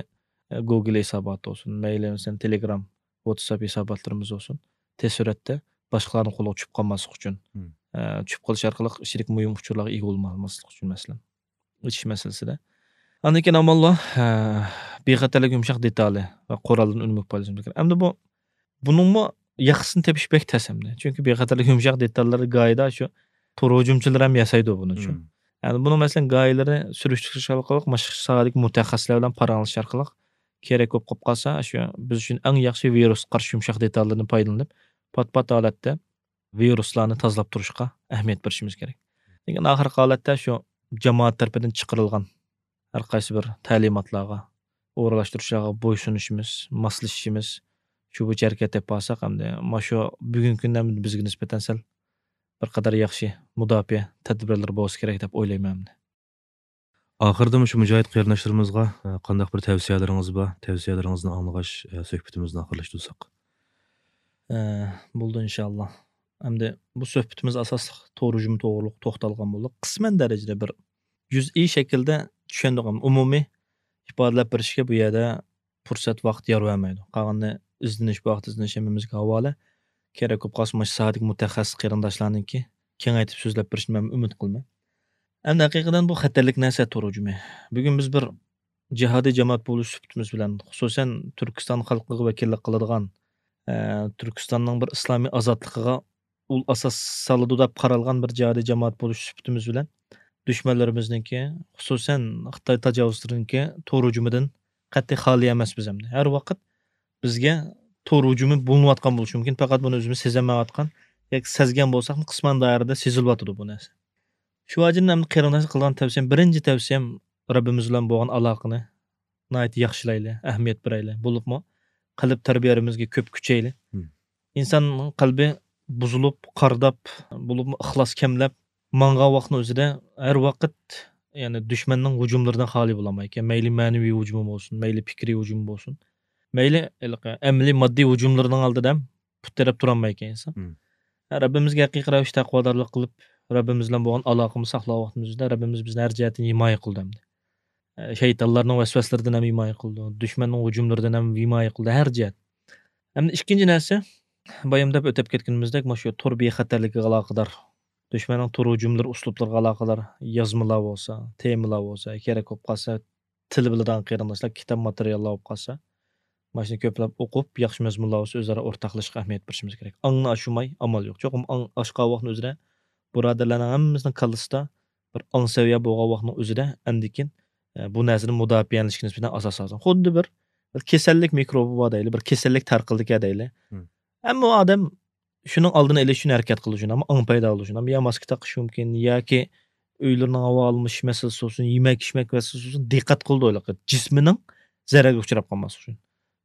ئە، گوگل ھېساباتى بولسۇن، مەيلى، مەسىلەن، تېلېگرام، ۋاتساپ ھېساباتلىرىمىز بولسۇن، تېز سۈرئەتتە باشقىلارنىڭ قولىغا چۈشۈپ قالماسلىق ئۈچۈن، مم. ئە، چۈشۈپ قېلىش ئارقىلىق ئىچىدىكى مۇھىم ئۇچۇرلارغا ئىگە بولماسلىق ئۈچۈن، مەسىلەن. ئېچىش مەسىلىسىدە. ئاندىن كېيىن ئاماللار، ھە، بىخەتەرلىك يۇمشاق دېتالى ۋە قورالدىن ئۈنۈملۈك پايدىلىنىش كېرەك. ئەمدى بۇ، بۇنىڭمۇ ياخشىسىنى تېپىش بەك تەس ئەمدى. چۈنكى بىخەتەرلىك يۇمشاق دېتاللىرى گاھىدا شۇ تور ھۇجۇمچىلىرى ھەم ياسايدۇ بۇنى شۇ. مم. يەنى بۇنىڭ مەسىلەن گاھىلىرى سۈرۈشتۈرۈش ئارقىلىق، مۇشۇ ساھەدىكى مۇتەخەسسىسلەر بىلەن پاراڭلىشىش ئارقىلىق كېرەك بولۇپ قالسا، شۇ بىز ئۈچۈن ئەڭ ياخشى ۋىرۇسقا قارشى يۇمشاق دېتاللىرىنى پايدىلىنىپ، پات-پات ھالەتتە ۋىرۇسلارنى تازىلاپ تۇرۇشقا ئەھمىيەت بېرىشىمىز كېرەك. لېكىن ئاخىرقى ھالەتتە شۇ جامائەت تەرىپىدىن چىقىرىلغان ھەر قايسى بىر تەلىماتلارغا، ئورۇنلاشتۇرۇشلارغا بويسۇنۇشىمىز، ماسلىشىشىمىز، شۇ بويىچە ھەرىكەت ئېلىپ بارساق، ئەمدى مانا شۇ بۈگۈنكى كۈندە بىزگە نىسبەتەن سەل بىر قەدەر ياخشى مۇداپىئە تەدبىرلىرى بولسا كېرەك دەپ ئويلايمەن ئەمدى. ئاخىرىدا مۇشۇ مۇجاھىد قېرىنداشلىرىمىزغا، ئە، قانداق بىر تەۋسىيەلىرىڭىز بار؟ تەۋسىيەلىرىڭىزنى ئاڭلىغاچ، ئە، سۆھبىتىمىزنى ئاخىرلاشتۇرساق. ئە، بولدى ئىنشاللا. ئەمدى بۇ سۆھبىتىمىز ئاساسلىق تور ھۇجۇمى توغرۇلۇق توختالغان بولدۇق. قىسمەن دەرىجىدە بىر جۈزئىي شەكىلدە چۈشەندۇق. ئەمدى ئومۇمىي ئىپادىلەپ بېرىشكە بۇ يەردە پۇرسەت، ۋاقىت يار بەرمەيدۇ. قالغىنىنى ئىزدىنىش، ۋاقىت ئىزدىنىش ھەممىمىزگە ھاۋالە. كېرەك بولۇپ قالسا، مۇشۇ ساھەدىكى مۇتەخەسسىس قېرىنداشلارنىڭكى كېڭەيتىپ سۆزلەپ بېرىشىنى مەن ئۈمىد قىلىمەن. ئەمدى ھەقىقەتەن بۇ خەتەرلىك نەرسە تور ھۇجۇمى. بۈگۈن بىز بىر جىھادىي جامائەت بولۇش سۈپىتىمىز بىلەن، خۇسۇسەن تۈركىستان خەلقىگە ۋەكىللىك قىلىدىغان، ئە، تۈركىستاننىڭ بىر ئىسلامىي ئازادلىقىغا ئۇل ئاساس سالىدۇ دەپ قارالغان بىر جىھادىي جامائەت بولۇش سۈپىتىمىز بىلەن دۈشمەنلىرىمىزنىڭكى، خۇسۇسەن خىتاي تاجاۋۇزچىلىرىنىڭكى تور ھۇجۇمىدىن قەتئىي خالىي ئەمەسمىز ئەمدى. ھەر ۋاقىت بىزگە تور ھۇجۇمى بولۇنۇۋاتقان بولۇشى مۇمكىن، پەقەت بۇنى ئۆزىمىز سېزەلمەيۋاتقان ياكى سەزگەن بولساقمۇ قىسمەن دائىرىدە سېزىلىۋاتىدۇ بۇ نەرسە. شۇ ۋەجىدىن ئەمدى قېرىنداشلار قىلغان تەۋسىيەم، بىرىنچى تەۋسىيەم رەببىمىز بىلەن بولغان ئالاقىنى ناھايىتى ياخشىلايلى، ئەھمىيەت بېرەيلى. بولۇپمۇ قەلب تەربىيەمىزگە كۆپ كۈچەيلى. مم. ئىنسان قەلبى بۇزۇلۇپ، قارداپ، بولۇپمۇ ئىخلاس كەملەپ ماڭغان ۋاقىتنىڭ ئۆزىدە ھەر ۋاقىت، يەنى دۈشمەننىڭ ھۇجۇملىرىدىن خالىي بولالمايدىكەن. مەيلى مەنىۋى ھۇجۇمى بولسۇن، مەيلى پىكرىي ھۇجۇم بولسۇن، مەيلى ھېلىقى ئەمەلىي ماددىي ھۇجۇملىرىنىڭ ئالدىدا ھەم پۇت تىرەپ تۇرالمايدىكەن ئىنسان. مم. ھە، رەببىمىزگە ھەقىقىي رەۋىشتە تەقۋادارلىق قىلىپ، رەببىمىز بىلەن بولغان ئالاقىمىزنى ساقلىغان ۋاقتىمىزدا رەببىمىز بىزنى ھەر جەھەتتىن ھىمايە قىلىدۇ ئەمدى. ئە، شەيتانلارنىڭ ۋەسۋەسىلىرىدىن ھەم ھىمايە قىلىدۇ، دۈشمەننىڭ ھۇجۇملىرىدىن ھەم ھىمايە قىلىدۇ، ھەر جەھەت. ئەمدى ئىككىنچى نەرسە، بايام دەپ ئۆتۈپ كەتكىنىمىزدەك، مانا شۇ تور بىخەتەرلىكىگە ئالاقىدار، دۈشمەننىڭ تور ھۇجۇملىرى، ئۇسلۇبلىرىغا ئالاقىدار يازمىلار بولسا، تېمىلار بولسا، كېرەك بولۇپ قالسا، تىل بىلىدىغان قېرىنداشلار، كىتاب ماتېرىياللار بولۇپ قالسا، مانا شۇنى كۆپلەپ ئوقۇپ، ياخشى مەزمۇنلار بولسا، ئۆزئارا ئورتاقلىشىشقا ئەھمىيەت بېرىشىمىز كېرەك. ئاڭنى ئاشۇرماي ئامال يوق. چوقۇم ئاڭ ئاشقان ۋاقىتنىڭ ئۆزىدە بۇرادەرلەرنىڭ ھەممىمىزنىڭ كاللىسىدا بىر ئاڭ سەۋىيە بولغان ۋاقىتنىڭ ئۆزىدە ئەندىكىن، ئە، بۇ نەرسىدىن مۇداپىئەلىنىشكە نىسبەتەن ئاساس لازىم. خۇددى بىر، بىر كېسەللىك مىكروبى بار دەيلى، بىر كېسەللىك تارقىلدىكەن دەيلى. مم. ئەمما ئۇ ئادەم شۇنىڭ ئالدىنى ئېلىش ئۈچۈن ھەرىكەت قىلىدۇ شۇنى. ئەمما ئاڭ پەيدا بولىدۇ شۇنى. ئەمما يا ماسكا تاقىشى مۇمكىن، ياكى ئۆيلىرىنىڭ ھاۋا ئالمىشىش مەسىلىسى بولسۇن، يېمەك ئىچمەك مەسىلىسى بولسۇن، دىققەت قىلىدۇ ھېلىقى جىسمىنىڭ زەرەرگە ئۇچراپ قالماسلىقى ئۈچۈن.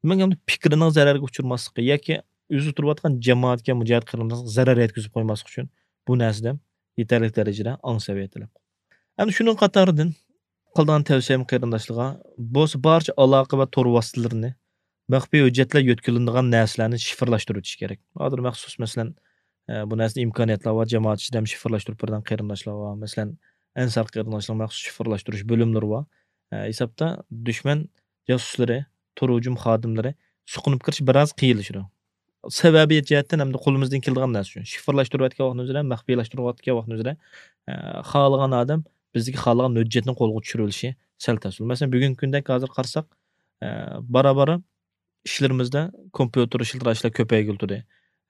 دېمەك، ئەمدى پىكرىنىڭ زەرەرگە ئۇچرىماسلىقى ياكى ئۆزى تۇرۇۋاتقان جامائەتكە، مۇجاھىد قېرىنداشلارغا زەرەر يەتكۈزۈپ قويماسلىقى ئۈچۈن بۇ نەرسىدە ھەم يېتەرلىك دەرىجىدە ئاڭ سەۋىيە تەلەپ قىلىدۇ. ئەمدى شۇنىڭ قاتارىدىن قىلىدىغان تەۋسىيەم قېرىنداشلارغا بولسا بارچە ئالاقە ۋە تور ۋاسىتىلىرىنى مەخپىي ھۆججەتلەر يۆتكىلىنىدىغان نەرسىلەرنى شىفىرلاشتۇرۇۋېتىش كېرەك. ھازىر مەخسۇس، مەسىلەن، ئە، بۇ نەرسىدە ئىمكانىيەتلەر بار، جامائەت ئىچىدە ھەم شىفىرلاشتۇرۇپ بېرىدىغان قېرىنداشلار بار. مەسىلەن، ئەنسار قېرىنداشلارنىڭ مەخسۇس شىفىرلاشتۇرۇش بۆلۈملىرى بار. ئە، ھېسابتا دۈشمەن جاسۇسلىرى، تور ھۇجۇم خادىملىرى سۇقۇنۇپ كىرىش بىراز قىيىنلىشىدۇ. سەۋەبىيەت جەھەتتىن ھەمدە قولىمىزدىن كېلىدىغان نەرسە شۇ. شىفىرلاشتۇرۇۋەتكەن ۋاقتىمىزدا، مەخپىيلاشتۇرۇۋەتكەن ۋاقتىمىزدا، ئە، خالىغان ئادەم بىزدىكى خالىغان ھۆججەتنى قولغا چۈشۈرۈۋېلىشى سەل تەس. مەسىلەن، بۈگۈنكى كۈندە ھازىر قارىساق، ئە، بارا-بارا ئىشلىرىمىزدا كومپيۇتېر ئىشلىتىدىغان ئىشلار كۆپەيگىلى تۇردى.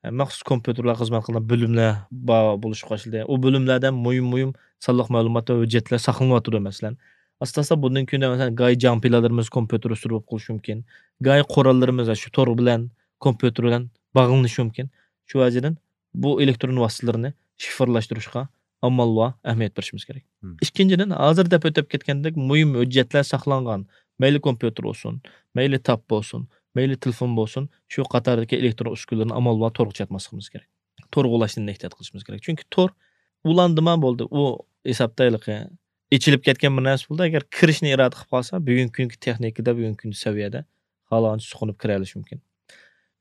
ئە، مەخسۇس كومپيۇتېرلار خىزمەت قىلىدىغان بۆلۈملەر بار بولۇشقا باشلىدى. ئۇ بۆلۈملەردە مۇھىم، مۇھىم سانلىق مەلۇمات ۋە ھۆججەتلەر ساقلىنىۋاتىدۇ، مەسىلەن. ئاستا-ئاستا بۇندىن كېيىن، مەسىلەن، گاي جاڭپىلەرلىرىمىز كومپيۇتېر ئۈستىدە بولۇپ قېلىشى مۇمكىن. گاي قوراللىرىمىز شۇ تور بىلەن، كومپيۇتېر بىلەن باغلىنىشى مۇمكىن. شۇ ۋەجىدىن بۇ ئېلېكترون ۋاسىتىلىرىنى شىفىرلاشتۇرۇشقا ئامال ۋە ئەھمىيەت بېرىشىمىز كېرەك. مم. ئىككىنچىدىن، ھازىر دەپ ئۆتۈپ كەتكەندەك مۇھىم ھۆججەتلەر ساقلانغان، مەيلى كومپيۇتېر بولسۇن، مەيلى تاپ بولسۇن، مەيلى تېلېفون بولسۇن، شۇ قاتاردىكى ئېلېكترون ئۈسكۈنىلەرنى ئامال ۋە تورغا چاتماسلىقىمىز كېرەك. تورغا ئۇلاشتىن ئېھتىيات قىلىشىمىز كېرەك. چۈنكى تور ئۇلاندىما بولدى. ئۇ ھېسابتا ھېلىقى ئېچىلىپ كەتكەن بىر نەرسە بولدى. ئەگەر كىرىشنى ئىرادە قىلىپ قالسا، بۈگۈنكى كۈنكى تېخنىكىدا، بۈگۈنكى كۈندە سەۋىيەدە خالىغانچە سۇقۇنۇپ كىرەلىشى مۇمكىن.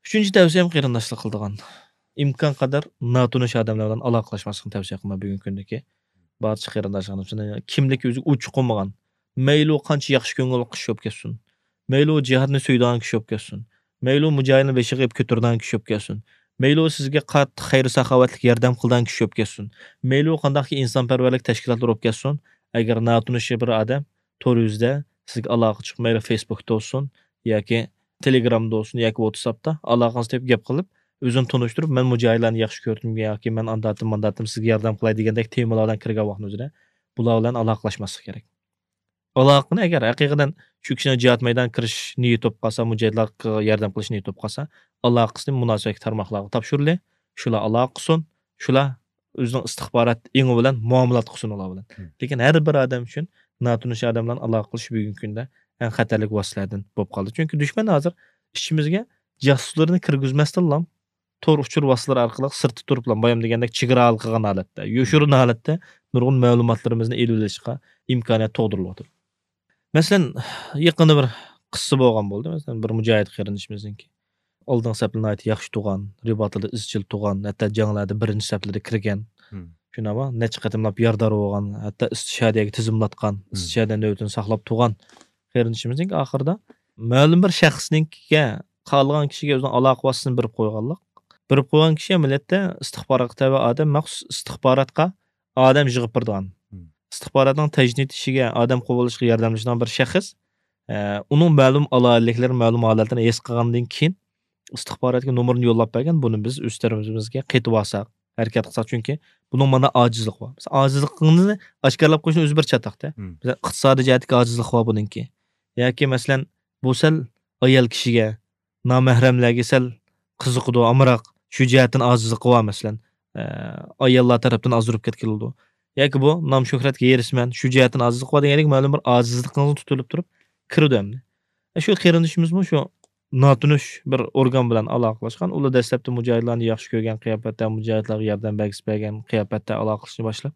ئۈچىنچى تەۋسىيەم قېرىنداشلار قىلىدىغان، ئىمكان قەدەر ناتونۇش ئادەملەر بىلەن ئالاقىلاشماسلىقنى تەۋسىيە قىلىمەن بۈگۈنكى كۈندىكى بارچە قېرىنداشلارنى. كىملىكى ئۆزىگە ئوچۇق بولمىغان، مەيلى ئۇ قانچە ياخشى كۆڭۈل قىلىش بولۇپ كەتسۇن، مەيلى ئۇ جىھادنى سۆيىدىغان كىشى بولۇپ كەتسۇن، مەيلى ئۇ مۇجاھىدنى بېشىغا ئېلىپ كۆتۈرىدىغان كىشى بولۇپ كەتسۇن، مەيلى ئۇ سىزگە قاتتىق خەير-ساخاۋەتلىك ياردەم قىلىدىغان كىشى بولۇپ كەتسۇن، مەيلى ئۇ قانداقكى ئىنسانپەرۋەرلىك تەشكىلاتلار بولۇپ كەتسۇن، ئەگەر ناتونۇش بىر ئادەم تور يۈزىدە سىزگە ئالاقە چىقىپ، مەيلى فېيسبۇكتا بولسۇن ياكى تېلېگرامدا بولسۇن ياكى ۋاتساپتا ئالاقىڭىزنى تېپىپ گەپ قىلىپ، ئۆزىنى تونۇشتۇرۇپ، مەن مۇجاھىدلارنى ياخشى كۆردۈم ياكى مەن ئانداتتىم، مانداتتىم، سىزگە ياردەم قىلاي دېگەندەك تېمىلار بىلەن كىرگەن ۋاقتىنىڭ ئۆزىدە بۇلار بىلەن ئالاقىلاشماسلىق كېرەك. ئالاقىنى ئەگەر ھەقىقەتەن شۇ كىشىنىڭ جىھاد مەيدانىغا كىرىش نىيىتى بولۇپ قالسا، مۇجاھىدلارغا ياردەم قىلىش نىيىتى بولۇپ قالسا، ئالاقىسىنى مۇناسىۋەتلىك تارماقلارغا تاپشۇرىلى، شۇلار ئالاقە قىلسۇن، شۇلار ئۆزىنىڭ ئىستىخبارات ئېڭى بىلەن مۇئامىلات قىلسۇن ئۇلار بىلەن. مم. لېكىن ھەر بىر ئادەم ئۈچۈن ناتونۇش ئادەم بىلەن ئالاقە قىلىش بۈگۈنكى كۈندە ئەڭ خەتەرلىك ۋاسىتىلەردىن بولۇپ قالدى. چۈنكى دۈشمەن ھازىر ئىچىمىزگە جاسۇسلىرىنى كىرگۈزمەستىنلا تور ئۇچۇر ۋاسىتىلىرى ئارقىلىق سىرتتا تۇرۇپلا، بايام دېگەندەك چېگرا ھالقىغان ھالەتتە، يوشۇرۇن ھالەتتە نۇرغۇن مەلۇماتلىرىمىزنى ئېلىۋېلىشقا ئىمكانىيەت تۇغدۇرۇلۇۋاتىدۇ. مەسىلەن، يېقىندا بىر قىسسە بولغان بولدى. مەسىلەن، بىر مۇجاھىد قېرىندىشىمىزنىڭكى. ئالدىنقى سەپلەر ناھايىتى ياخشى تۇغان، رىباتىدا ئىزچىل تۇغان، ھەتتا جەڭلەردە بىرىنچى سەپلەردە كىرگەن. شۇنداقمۇ؟ نەچچە قېتىملاپ ياردار بولغان، ھەتتا ئىستىشادىگە تىزىملاتقان، ئىستىشادە نۆۋىتىنى ساقلاپ تۇغان قېرىندىشىمىزنىڭ ئاخىرىدا مەلۇم بىر شەخسنىڭكىگە، خالىغان كىشىگە ئۆزىنىڭ ئالاقە ۋاسىتىسىنى بېرىپ قويغانلىق. بېرىپ قويغان كىشى ئەمەلىيەتتە ئىستىخباراتقا تەۋە ئادەم، مەخسۇس ئىستىخباراتقا ئادەم يىغىپ بېرىدىغان. ئىستىخباراتنىڭ تەجنىد ئىشىگە، ئادەم قوبۇللىشىغا ياردەملىشىدىغان بىر شەخس، ئە، ئۇنىڭ مەلۇم ئالاھىدىلىكلىرى، مەلۇم ھالەتلىرىنى ھېس قىلغاندىن كېيىن، ئىستىخباراتقا نومۇرىنى يوللاپ بەرگەن، بۇنى بىز ئۆز تەرىپىمىزگە قېتىۋالساق، ھەرىكەت قىلساق، چۈنكى بۇنىڭ مانا ئاجىزلىقى بار. مىسال، ئاجىزلىقىڭىزنى ئاشكارىلاپ قويۇشنىڭ ئۆزى بىر چاتاقتە. مىسال، ئىقتىسادىي جەھەتتىكى ئاجىزلىقى بار بۇنىڭكى. ياكى، مەسىلەن، بۇ سەل ئايال كىشىگە، نامەھرەملەرگە سەل قىزىقىدۇ، ئامراق، شۇ جەھەتتىن ئاجىزلىقى بار، مەسىلەن، ئە، ئاياللار تەرەپتىن ئازدۇرۇپ كەتكىلىدۇ. ياكى بۇ نام شۆھرەتكە ھېرىسمەن، شۇ جەھەتتىن ئاجىزلىقى بار دېگەندەك مەلۇم بىر ئاجىزلىقىڭىزنى تۇتۇلۇپ تۇرۇپ كىرىدۇ ئەمدى. ئە، شۇ قېرىندىشىمىزمۇ شۇ ناتونۇش بىر ئورگان بىلەن ئالاقىلەشكەن. ئۇلار دەسلەپتە مۇجاھىدلارنى ياخشى كۆرگەن قىياپەتتە، مۇجاھىدلارغا ياردەم بەرگۈسى بەرگەن قىياپەتتە ئالاقىلىشىشنى باشلاپ،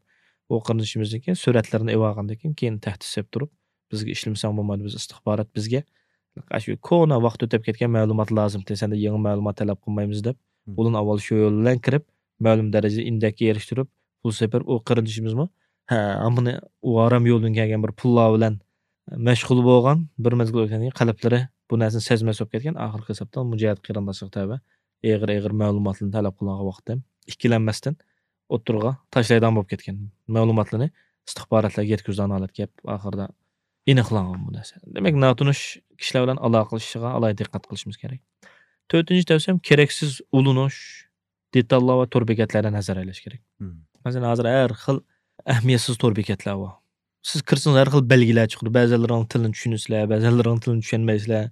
ئۇ قېرىندىشىمىزنىڭكى سۈرەتلىرىنى ئېلىۋالغاندىن كېيىن، كېيىن تەھدىت سېلىپ تۇرۇپ، بىزگە ئىشلىمىسەڭ بولمايدۇ، بىز ئىستىخبارات، بىزگە ئاشۇ كونا ۋاقىت ئۆتۈپ كەتكەن مەلۇمات لازىمتى، سەندىن يېڭى مەلۇمات تەلەپ قىلمايمىز دەپ، ئۇلارنى ئاۋۋال شۇ يول بىلەن كىرىپ، مەلۇم دەرىجىدە ئىندەككە ئېرىشتۈرۈپ، پۇل سېپىرىپ، ئۇ قېرىندىشىمىزمۇ، ھە، ھامىنى ئۇ ھارام يولدىن كەلگەن بىر پۇللار بىلەن مەشغۇل بولغان، بىر مەزگىل ئۆتكەندىن كېيىن قەلبلىرى بۇ نەرسىنى سەزمەس بولۇپ كەتكەن، ئاخىرقى ھېسابتا مۇجاھىد قېرىنداشلىققا تەۋە ئېغىر-ئېغىر مەلۇماتلارنى تەلەپ قىلغان ۋاقىتتا ئىككىلەنمەستىن ئوتتۇرىغا تاشلايدىغان بولۇپ كەتكەن. مەلۇماتلىرىنى ئىستىخباراتلارغا يەتكۈزىدىغان ھالەتكە كېلىپ، ئاخىرىدا ئېنىقلانغان بۇ نەرسە. دېمەك، ناتونۇش كىشىلەر بىلەن ئالاقىلىشىشىغا ئالاھىدە دىققەت قىلىشىمىز كېرەك. تۆتىنچى تەۋسىيەم، كېرەكسىز ئۇلىنىش، دېتاللار ۋە تور بېكەتلەردىن ھەزەر ئەيلەش كېرەك. مەسىلەن، ھازىر ھەر خىل ئەھمىيەتسىز تور بېكەتلەر بار. سىز كىرسىڭىز، ھەر خىل بەلگىلەر چىقىدۇ. بەزىلىرىنىڭ تىلىنى چۈشىنىسىلەر، بەزىلىرىنىڭ تىلىنى چۈشەنمەيسىلەر.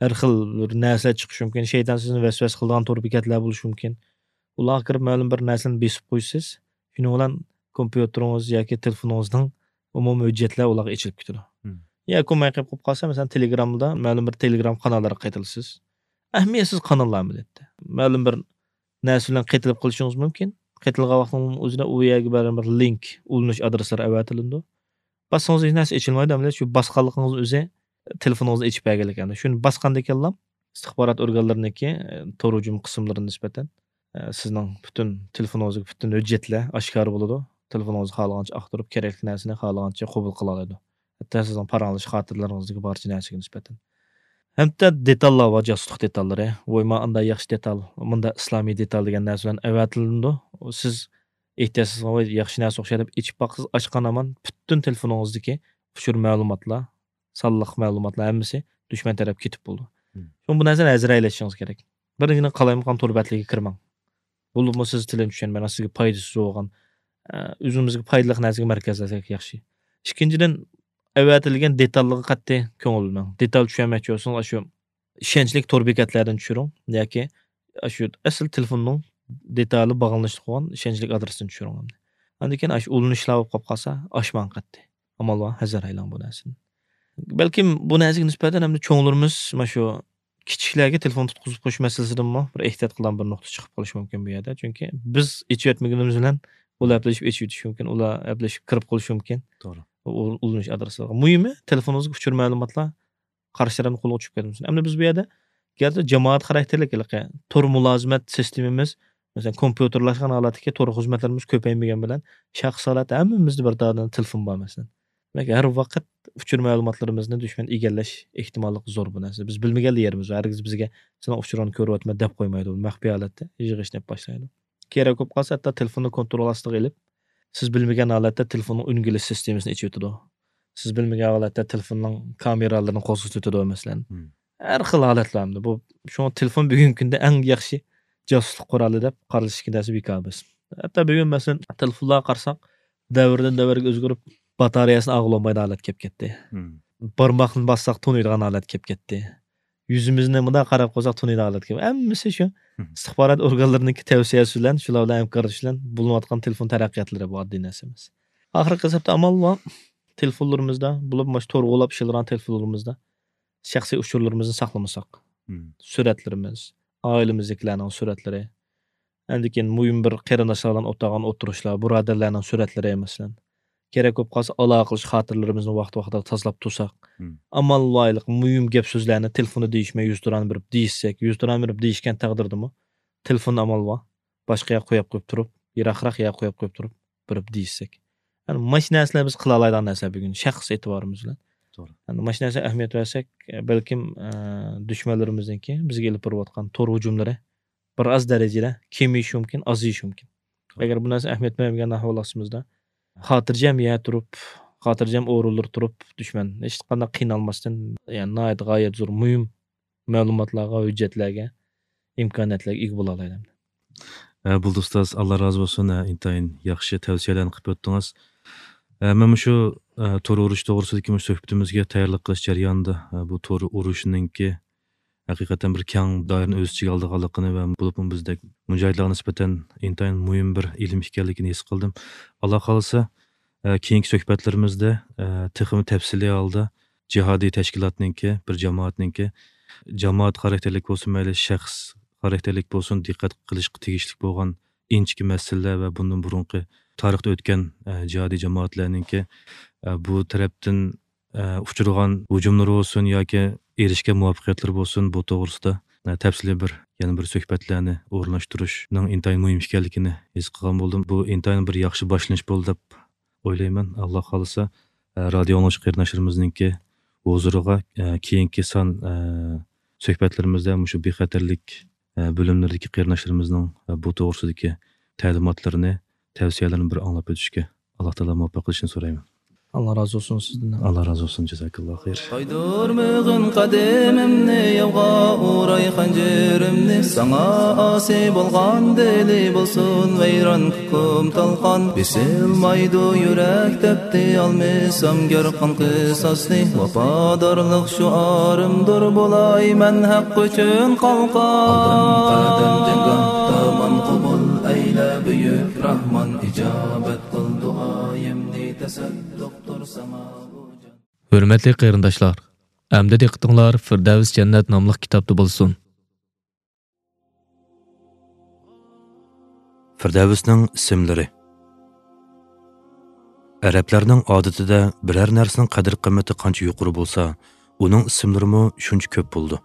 ھەر خىل بىر نەرسىلەر چىقىشى مۇمكىن. شەيتان سىزنى ۋەسۋەسە قىلىدىغان تور بېكەتلەر بولۇشى مۇمكىن. ئۇلارغا كىرىپ، مەلۇم بىر نەرسىنى بېسىپ قويىسىز. شۇنىڭ بىلەن كومپيۇتېرىڭىز ياكى تېلېفونىڭىزنىڭ ئومۇمىي ھۆججەتلەر ئۇلارغا ئېچىلىپ كېتىدۇ. ياكى ئۇ مايقاپ قېلىپ قالسا، مەسىلەن، تېلېگرامدا مەلۇم بىر تېلېگرام قاناللىرىغا قېتىلىسىز. ئەھمىيەتسىز قاناللار ئەمەلىيەتتە. مەلۇم بىر نەرسە بىلەن قېتىلىپ قېلىشىڭىز مۇمكىن. قېتىلغان ۋاقتىڭىزنىڭ ئۆزىدە ئۇ يەرگە بەرگەن بىر لىنك، ئۇلىنىش ئادرېسلىرى ئەۋەتىلىدۇ. باسسىڭىز ھېچ نەرسە ئېچىلمايدۇ، ئەمەلىيەتتە شۇ باسقانلىقىڭىز ئۆزى تېلېفونىڭىزنى ئېچىپ بەرگەنلىك. يەنى شۇنى باسقاندىكىنلا ئىستىخبارات ئورگانلىرىنىڭكى، ئە، تور ھۇجۇم قىسىملىرىغا نىسبەتەن، ئە، سىزنىڭ پۈتۈن تېلېفونىڭىزدىكى پۈتۈن ھۆججەتلەر ئاشكارا بولىدۇ. تېلېفونىڭىزنى خالىغانچە ئاختۇرۇپ، كېرەكلىك نەرسىنى خالىغانچە قوبۇل قىلالايدۇ. ھەتتا سىزنىڭ پاراڭلىشىش خاتىرىلىرىڭىزدىكى بارچە نەرسىگە نىسبەتەن. ھەتتا دېتاللار بار، جاسۇسلۇق دېتاللىرى. ۋوي، مانا ئانداق ياخشى دېتال، مۇنداق ئىسلامىي دېتال دېگەن نەرسە بىلەن ئەۋەتىلىدۇ. سىز ئېھتىياتسىز، ۋوي، ياخشى نەرسە ئوخشايدۇ دەپ ئېچىپ باقسىز، ئاچقان ھامان پۈتۈن تېلېفونىڭىزدىكى ئۇچۇر مەلۇماتلار، سانلىق مەلۇماتلار ھەممىسى دۈشمەن تەرەپكە كېتىپ بولىدۇ. شۇڭا بۇ نەرسىنى ھەزەر ئەيلىشىڭىز كېرەك. بىرىنچىدىن، قالايمىقان تور بەتلىرىگە كىرمەڭ. بولۇپمۇ سىز تىلىنى چۈشەنمەيدىغان، سىزگە پايدىسىز بولغان، ئە، ئۆزىمىزگە پايدىلىق نەرسىگە مەركەزلەنسەك ياخشى. ئىككىنچىدىن، ئەۋەتىلگەن دېتاللىققا قەتئىي كۆڭۈل بۆلمەڭ. دېتال چۈشەنمەكچى بولسىڭىز، ئاشۇ ئىشەنچلىك تور بېكەتلەردىن چۈشۈرۈڭ ياكى ئاشۇ ئەسلى تېلېفوننىڭ دېتالى باغلىنىشلىق بولغان ئىشەنچلىك ئادرېستىن چۈشۈرۈڭ. ئاندىن كېيىن ئاشۇ ئۇلىنىشلار بولۇپ قاپ قالسا، ئاچماڭ قەتئىي. ئامال بار، ھەزەر ئەيلەڭ بۇ نەرسىدىن. بەلكىم بۇ نەرسىگە نىسبەتەن ئەمدى چوڭلىرىمىز مانا شۇ كىچىكلەرگە تېلېفون تۇتقۇزۇپ قويۇش مەسىلىسىدىنمۇ بىر ئېھتىيات قىلىدىغان بىر نۇقتا چىقىپ قېلىشى مۇمكىن بۇ يەردە. چۈنكى بىز ئېچىۋەتمىگىنىمىز بىلەن ئۇلار ئەپلىشىپ ئېچىۋېتىشى مۇمكىن، ئۇلار ئەپلىشىپ كىرىپ قېلىشى مۇمكىن. توغرا. ئۇ-، ئۇلىنىش ئادرېسلىرىغا. مۇھىمى، تېلېفونىڭىزدىكى ئۇچۇر مەلۇماتلار قارشى تەرەپنىڭ قولىغا چۈشۈپ كەتمىسۇن. ئەمدى بىز بۇ يەردە گەرچە جامائەت خاراكتېرلىك ھېلىقى تور مۇلازىمەت سىستېمىمىز، مەسىلەن، كومپيۇتېرلاشقان ھالەتتىكى تور خىزمەتلىرىمىز كۆپەيمىگەن بىلەن، شەخسىي ھالەتتە ھەممىمىزدە بىر دانە تېلېفون بار، مەسىلەن. دېمەك، ھەر ۋاقىت ئۇچۇر مەلۇماتلىرىمىزنى دۈشمەن ئىگىلەش ئېھتىماللىقى زور بۇ نەرسە. بىز بىلمىگەنلا يېرىمىز بار. ھەرگىز بىزگە سېنىڭ ئۇچۇرۇڭنى كۆرۈۋاتىمەن دەپ قويمايدۇ. مەخپىي ھالەتتە يىغىشنى باشلايدۇ. كېرەك بولۇپ قالسا، ھەتتا تېلېفوننى كونترول ئاستىغا ئېلىپ، سىز بىلمىگەن ھالەتتە تېلېفوننىڭ ئۈنگىلىش سىستېمىسىنى ئېچىۋېتىدۇ. سىز بىلمىگەن ھالەتتە تېلېفوننىڭ كامېرالىرىنى قوزغىتىۋېتىدۇ، مەسىلەن. ھەر خىل ھالەتلەر ئەمدى بۇ. شۇڭا تېلېفون بۈگۈنكى كۈندە ئەڭ ياخشى جاسۇسلۇق قورالى دەپ قارىلىشتىكى نەرسە بىكار ئەمەس. ھەتتا بۈگۈن، مەسىلەن، تېلېفونلارغا قارىساق، دەۋردىن دەۋرگە ئۆزگىرىپ، باتارېيەسىنى ئالغىلى بولمايدىغان ھالەتكە كېلىپ كەتتى. بارماقنى باسساق، تونۇيدىغان ھالەتكە كېلىپ كەتتى. يۈزىمىزنى مۇنداق قاراپ قويساق، تونۇيدىغان ھالەتكە كېلىپ، ھەممىسى شۇ ئىستىخبارات ئورگانلىرىنىڭكى تەۋسىيەسى بىلەن، شۇلار بىلەن ھەمكارلىشىش بىلەن بولۇنۇۋاتقان تېلېفون تەرەققىياتلىرى، بۇ ئاددىي نەرسە ئەمەس. ئاخىرقى ھېسابتا ئامال بار. تېلېفونلىرىمىزدا، بولۇپ مۇشۇ تور قوغلاپ ئىشلەيدىغان تېلېفونلىرىمىزدا شەخسىي ئۇچۇرلىرىمىزنى ساقلىمىساق، مم. سۈرەتلىرىمىز، ئائىلىمىزدىكىلەرنىڭ سۈرەتلىرى، ئاندىن كېيىن مۇھىم بىر قېرىنداشلار بىلەن ئولتۇرغان ئولتۇرۇشلار، بۇرادەرلەرنىڭ سۈرەتلىرى، مەسىلەن، كېرەك بولۇپ قالسا، ئالاقىلىشىش خاتىرىلىرىمىزنى ۋاقتى ۋاقتىدا تازىلاپ تۇرساق، مم. ئامال ۋايلىق مۇھىم گەپ سۆزلەرنى تېلېفوندا دېيىشمەي، يۈزتۇرانە بېرىپ دېيىشسەك، يۈزتۇرانە بېرىپ دېيىشكەن تەقدىردىمۇ، تېلېفوندا ئامال بار. باشقا يەرگە قويۇپ قويۇپ تۇرۇپ، يىراقراق يەرگە قويۇپ قويۇپ تۇرۇپ، بېرىپ دېيىشسەك. يەنى مانا شۇ نەرسىلەر بىز قىلالايدىغان نەرسىلەر بۈگۈن شەخس ئېتىبارىمىز بىلەن. توغرا. يەنى مانا شۇ نەرسىگە ئەھمىيەت بەرسەك، بەلكىم، ئە، دۈشمەنلىرىمىزنىڭكى بىزگە ئېلىپ بېرىۋاتقان تور ھۇجۇملىرى بىر ئاز دەرىجىدە كېمىيىشى مۇمكىن، ئازىيىشى مۇمكىن. توغرا. ئەگەر بۇ نەرسىگە ئەھمىيەت بەرمىگەن ئەھۋال ئاستىمىزدا، خاتىرجەم يەر تۇرۇپ، خاتىرجەم ئورۇنلىرى تۇرۇپ، دۈشمەن ھېچقانداق قىينالماستىن، يەنى ناھايىتى غايەت زور مۇھىم مەلۇماتلارغا، ھۆججەتلەرگە، ئىمكانىيەتلەرگە ئىگە بولالايدۇ. ھە، بولدى ئۇستاز، ئاللا رازى بولسۇن. ھە، ئىنتايىن ياخشى تەۋسىيەلەرنى قىلىپ ئۆتتىڭىز. ھە، مەن مۇشۇ، ھە، تور ئۇرۇش توغرىسىدىكى مۇشۇ سۆھبىتىمىزگە تەييارلىق قىلىش جەريانىدا، ھە، بۇ تور ئۇرۇشنىڭكى ھەقىقەتەن بىر كەڭ دائىرىنى ئۆز ئىچىگە ئالىدىغانلىقىنى ۋە بولۇپمۇ بىزدەك مۇجاھىدلارغا نىسبەتەن ئىنتايىن مۇھىم بىر ئىلىم ئىكەنلىكىنى ھېس قىلدىم. ئاللا خالىسا، ئە، كېيىنكى سۆھبەتلىرىمىزدە، ئە، تېخىمۇ تەپسىلىي ھالدا جىھادىي تەشكىلاتنىڭكى، بىر جامائەتنىڭكى، جامائەت خاراكتېرلىك بولسۇن، مەيلى شەخس خاراكتېرلىك بولسۇن، دىققەت قىلىشقا تېگىشلىك بولغان ئىنچىكە مەسىلىلەر ۋە بۇندىن بۇرۇنقى تارىختا ئۆتكەن، ئە، جىھادىي جامائەتلەرنىڭكى، ئە، بۇ تەرەپتىن، ئە، ئۇچرىغان ھۇجۇملىرى بولسۇن ياكى ئېرىشكەن مۇۋەپپەقىيەتلىرى بولسۇن، بۇ توغرىسىدا، ئە، تەپسىلىي بىر، يەنە بىر سۆھبەتلەرنى ئورۇنلاشتۇرۇشنىڭ ئىنتايىن مۇھىم ئىكەنلىكىنى ھېس قىلغان بولدۇم. بۇ ئىنتايىن بىر ياخشى باشلىنىش بولدى دەپ ئويلايمەن. ئاللا خالىسا، ئە، رادىئو ئاڭلىغۇچى قېرىنداشلىرىمىزنىڭكى ھۇزۇرىغا، ئە، كېيىنكى سان، ئە، سۆھبەتلىرىمىزدە مۇشۇ بىخەتەرلىك، ئە، بۆلۈملىرىدىكى قېرىنداشلىرىمىزنىڭ، ئە، بۇ توغرىسىدىكى تەلىماتلىرىنى، تەۋسىيەلىرىنى بىر ئاڭلاپ ئۆتۈشكە ئاللا تائالا مۇۋەپپەق قىلىشىنى سورايمەن. ئاللا رازى بولسۇن سىزدىن. ئاللا رازى بولسۇن، جازاكاللا خەير. قايدۇرمىغىن قەدىمىمنى ياۋغا ئۇراي خەنجىرىمنى، ساڭا ئاسىي بولغان دىلى بولسۇن ۋەيران، كۇكۇم تالقان. بېسىلمايدۇ يۈرەك تەپتى ئالمىسام گەر قان قىساسنى، ۋاپادارلىق شوئارىمدۇر بولاي مەن ھەق ئۈچۈن قالقان. ئالدىم قەدەم جەڭگاھتا ماڭا قوبۇل ئەيلە بۈيۈك راھمان، ئىجابەت قىل دۇئايىمنى تەسەددۇقتۇر ساڭا بۇ جان. ھۆرمەتلىك قېرىنداشلار، ئەمدى دىققىتىڭلار فىردەۋس جەننەت ناملىق كىتابتا بولسۇن. فىردەۋسنىڭ ئىسىملىرى. ئەرەبلەرنىڭ ئادىتىدە بىرەر نەرسىنىڭ قەدىر-قىممىتى قانچە يۇقىرى بولسا، ئۇنىڭ ئىسىملىرىمۇ شۇنچە كۆپ بولىدۇ.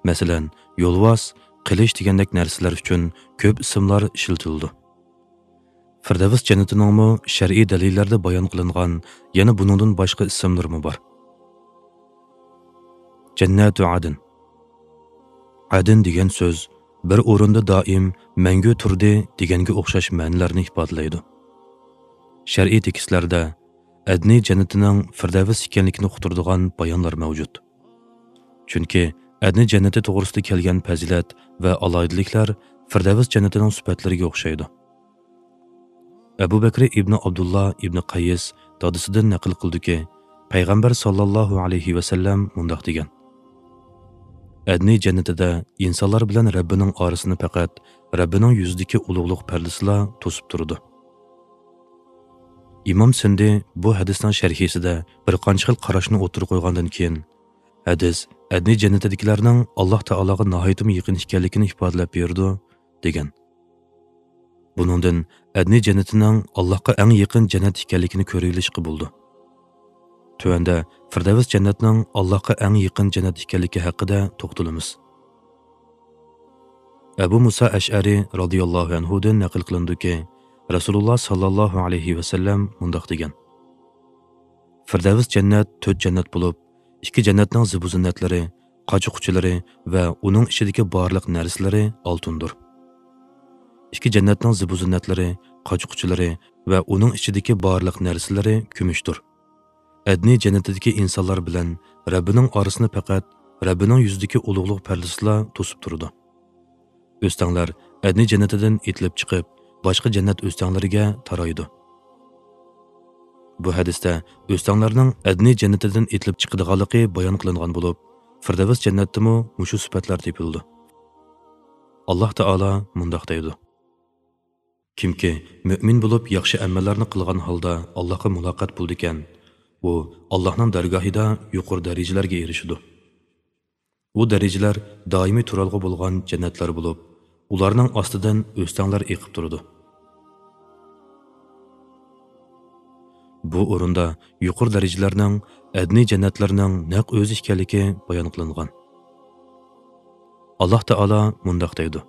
مەسىلەن، يولۋاس، قىلىچ دېگەندەك نەرسىلەر ئۈچۈن كۆپ ئىسىملار ئىشلىتىلىدۇ. فىردەۋس جەننىتىنىڭمۇ شەرئىي دەلىللەردە بايان قىلىنغان يەنە بۇنىڭدىن باشقا ئىسىملىرىمۇ بار. جەننەتۇ ئەدن. ئەدن دېگەن سۆز بىر ئورۇندا دائىم مەڭگۈ تۇردى دېگەنگە ئوخشاش مەنىلەرنى ئىپادىلەيدۇ. شەرئىي تېكىستلەردە ئەدنى جەننىتىنىڭ فىردەۋس ئىكەنلىكىنى ئۇقتۇرىدىغان بايانلار مەۋجۇت. چۈنكى ئەدنى جەننىتى توغرىسىدا كەلگەن پەزىلەت ۋە ئالاھىدىلىكلەر فىردەۋس جەننىتىنىڭ سۈپەتلىرىگە ئوخشايدۇ. ئەبۇ بەكرى ئىبنى ئابدۇللا ئىبنى قەييىس دادىسىدىن نەقىل قىلدىكى، پەيغەمبەر ساللاللاھۇ ئەلەيھى ۋەسەللەم مۇنداق دېگەن: ئەدنى جەننىتىدە ئىنسانلار بىلەن رەببىنىڭ ئارىسىنى پەقەت رەببىنىڭ يۈزىدىكى ئۇلۇغلۇق پەردىسىلا توسۇپ تۇرىدۇ. ئىمام سىندى بۇ ھەدىسنىڭ شەرھىسىدە بىر قانچە خىل قاراشنى ئوتتۇرىغا قويغاندىن كېيىن، ھەدىس ئەدنى جەننىتىدىكىلەرنىڭ ئاللاھ تائالاغا ناھايىتىمۇ يېقىن ئىكەنلىكىنى ئىپادىلەپ بېرىدۇ، دېگەن. بۇنىڭدىن ئەدنى جەننىتىنىڭ ئاللاھقا ئەڭ يېقىن جەننەت ئىكەنلىكىنى كۆرۈۋېلىشقا بولىدۇ. تۆۋەندە فىردەۋس جەننەتنىڭ ئاللاھقا ئەڭ يېقىن جەننەت ئىكەنلىكى ھەققىدە توختىلىمىز. ئەبۇ مۇسا ئەشئەرى رازىياللاھۇ ئەنھۇدىن نەقىل قىلىنىدۇكى، رەسۇلۇللاھ ساللاللاھۇ ئەلەيھى ۋەسەللەم مۇنداق دېگەن: فىردەۋس جەننەت تۆت جەننەت بولۇپ، ئىككى جەننەتنىڭ زىبۇزىننەتلىرى، قاچا-قۇچىلىرى ۋە ئۇنىڭ ئىچىدىكى بارلىق نەرسىلىرى ئالتۇندۇر. ئىككى جەننەتنىڭ زىبۇزىننەتلىرى، قاچا-قۇچىلىرى ۋە ئۇنىڭ ئىچىدىكى بارلىق نەرسىلىرى كۈمۈشتۇر. ئەدنى جەننىتىدىكى ئىنسانلار بىلەن رەببىنىڭ ئارىسىنى پەقەت رەببىنىڭ يۈزىدىكى ئۇلۇغلۇق پەردىسىلا توسۇپ تۇرىدۇ. ئۆستەڭلەر ئەدنى جەننىتىدىن ئېتىلىپ چىقىپ، باشقا جەننەت ئۆستەڭلىرىگە تارايدۇ. بۇ ھەدىستە ئۆستەڭلەرنىڭ ئەدنى جەننىتىدىن ئېتىلىپ چىقىدىغانلىقى بايان قىلىنغان بولۇپ، فىردەۋس جەننەتتىمۇ مۇشۇ سۈپەتلەر تېپىلىدۇ. ئاللاھ تائالا مۇنداق دەيدۇ: كىمكى مۆمىن بولۇپ ياخشى ئەمەللەرنى قىلغان ھالدا ئاللاھقا مۇلاقات بولىدىكەن، ئۇ ئاللاھنىڭ دەرگاھىدا يۇقىرى دەرىجىلەرگە ئېرىشىدۇ. ئۇ دەرىجىلەر دائىمىي تۇرالغۇ بولغان جەننەتلەر بولۇپ، ئۇلارنىڭ ئاستىدىن ئۆستەڭلەر ئېقىپ تۇرىدۇ. بۇ ئورۇندا يۇقىرى دەرىجىلەرنىڭ ئەدنىي جەننەتلەرنىڭ نەق ئۆزى ئىكەنلىكى بايان قىلىنغان. ئاللاھ تائالا مۇنداق دەيدۇ: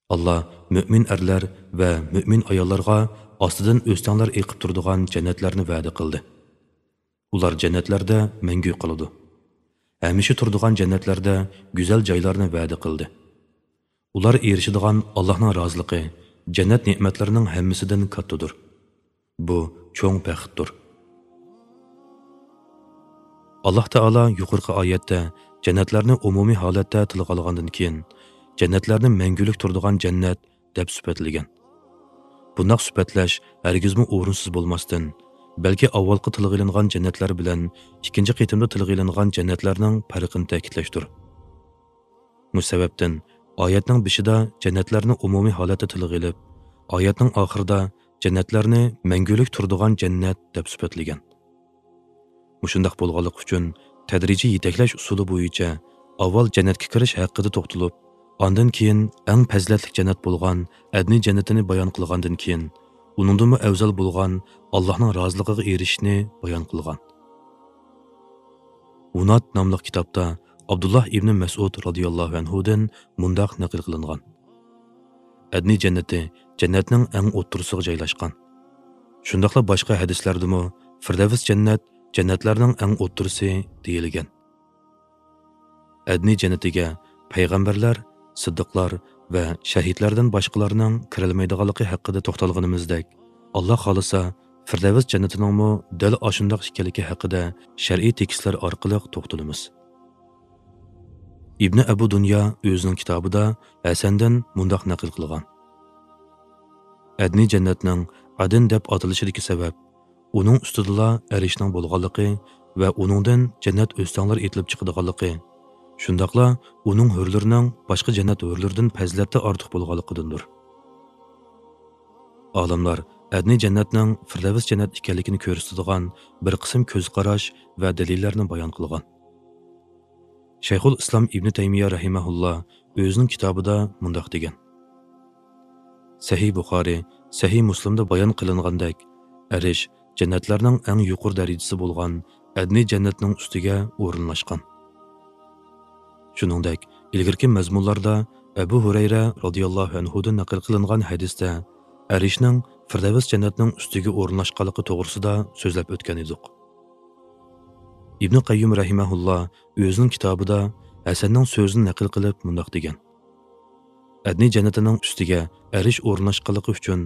«ئاللاھ مۆمىن ئەرلەر ۋە مۆمىن ئاياللارغا ئاستىدىن ئۆستەڭلەر ئېقىپ تۇرىدىغان جەننەتلەرنى ۋەدە قىلدى. ئۇلار جەننەتلەردە مەڭگۈ قالىدۇ. ھەمىشە تۇرىدىغان جەننەتلەردە گۈزەل جايلارنى ۋەدە قىلدى. ئۇلار ئېرىشىدىغان ئاللاھنىڭ رازىلىقى جەننەت نېمەتلىرىنىڭ ھەممىسىدىن كاتتىدۇر. بۇ چوڭ بەختتۇر.» ئاللاھ تائالا يۇقىرىقى ئايەتتە جەننەتلەرنى ئومۇمىي ھالەتتە تىلغا ئالغاندىن كېيىن، جەننەتلەرنى مەڭگۈلۈك تۇرىدىغان جەننەت دەپ سۈپەتلىگەن. بۇنداق سۈپەتلەش ھەرگىزمۇ ئورۇنسىز بولماستىن، بەلكى ئاۋۋالقى تىلغا ئېلىنغان جەننەتلەر بىلەن ئىككىنچى قېتىمدا تىلغا ئېلىنغان جەننەتلەرنىڭ پەرقىنى تەكىتلەشتۇر. مۇشۇ سەۋەبتىن ئايەتنىڭ بېشىدا جەننەتلەرنى ئومۇمىي ھالەتتە تىلغا ئېلىپ، ئايەتنىڭ ئاخىرىدا جەننەتلەرنى مەڭگۈلۈك تۇرىدىغان جەننەت دەپ سۈپەتلىگەن. مۇشۇنداق بولغانلىقى ئۈچۈن، تەدرىجىي يېتەكلەش ئۇسۇلى بويىچە ئاۋۋال جەننەتكە كىرىش ھەققىدە توختىلىپ، ئاندىن كېيىن ئەڭ پەزىلەتلىك جەننەت بولغان ئەدنىي جەننىتىنى بايان قىلغاندىن كېيىن، ئۇنىڭدىنمۇ ئەۋزەل بولغان ئاللاھنىڭ رازىلىقىغا ئېرىشىشنى بايان قىلغان. ھۇنات ناملىق كىتابتا ئابدۇللاھ ئىبنى مەسئۇد رازىياللاھۇ ئەنھۇدىن مۇنداق نەقىل قىلىنغان: «ئەدنىي جەننىتى جەننەتنىڭ ئەڭ ئوتتۇرىسىغا جايلاشقان.» شۇنداقلا باشقا ھەدىسلەردىمۇ «فىردەۋس جەننەت جەننەتلەرنىڭ ئەڭ ئوتتۇرىسى» دېيىلگەن. ئەدنىي جەننىتىگە پەيغەمبەرلەر، سىددىقلار ۋە شەھىدلەردىن باشقىلارنىڭ كىرەلمەيدىغانلىقى ھەققىدە توختالغىنىمىزدەك، ئاللاھ خالىسا، فىردەۋس جەننىتىنىڭمۇ دەل ئاشۇنداق ئىكەنلىكى ھەققىدە شەرئىي تېكىستلەر ئارقىلىق توختىلىمىز. ئىبنى ئەبۇ دۇنيا ئۆزىنىڭ كىتابىدا ھەسەندىن مۇنداق نەقىل قىلغان: «ئەدنىي جەننەتنىڭ ئەدن دەپ ئاتىلىشىدىكى سەۋەب، ئۇنىڭ ئۈستىدىلا ئەرشنىڭ بولغانلىقى ۋە ئۇنىڭدىن جەننەت ئۆستەڭلىرى ئېتىلىپ چىقىدىغانلىقى، شۇنداقلا ئۇنىڭ ھۆرلىرىنىڭ باشقا جەننەت ھۆرلىرىدىن پەزىلەتتە ئارتۇق بولغانلىقىدىندۇر.» ئالىملار ئەدنىي جەننەتنىڭ فىردەۋس جەننەت ئىكەنلىكىنى كۆرسىتىدىغان بىر قىسىم كۆز قاراش ۋە دەلىللەرنى بايان قىلغان. شەيخۇل ئىسلام ئىبنى تەيمىيە رەھىمەھۇللا ئۆزىنىڭ كىتابىدا مۇنداق دېگەن: سەھىھ بۇخارى، سەھىھ مۇسلىمدا بايان قىلىنغاندەك، ئەرش جەننەتلەرنىڭ ئەڭ يۇقىرى دەرىجىسى بولغان ئەدنىي جەننەتنىڭ ئۈستىگە ئورۇنلاشقان. شۇنىڭدەك، ئىلگىرىكى مەزمۇنلاردا ئەبۇ ھۇرەيرە رازىياللاھۇ ئەنھۇدىن نەقىل قىلىنغان ھەدىستە ئەرشنىڭ فىردەۋس جەننەتنىڭ ئۈستىگە ئورۇنلاشقانلىقى توغرىسىدا سۆزلەپ ئۆتكەن ئىدۇق. ئىبنى قەييۇم رەھىمەھۇللا ئۆزىنىڭ كىتابىدا ھەسەننىڭ سۆزىنى نەقىل قىلىپ مۇنداق دېگەن: ئەدنى جەننىتىنىڭ ئۈستىگە ئەرش ئورۇنلاشقانلىقى ئۈچۈن،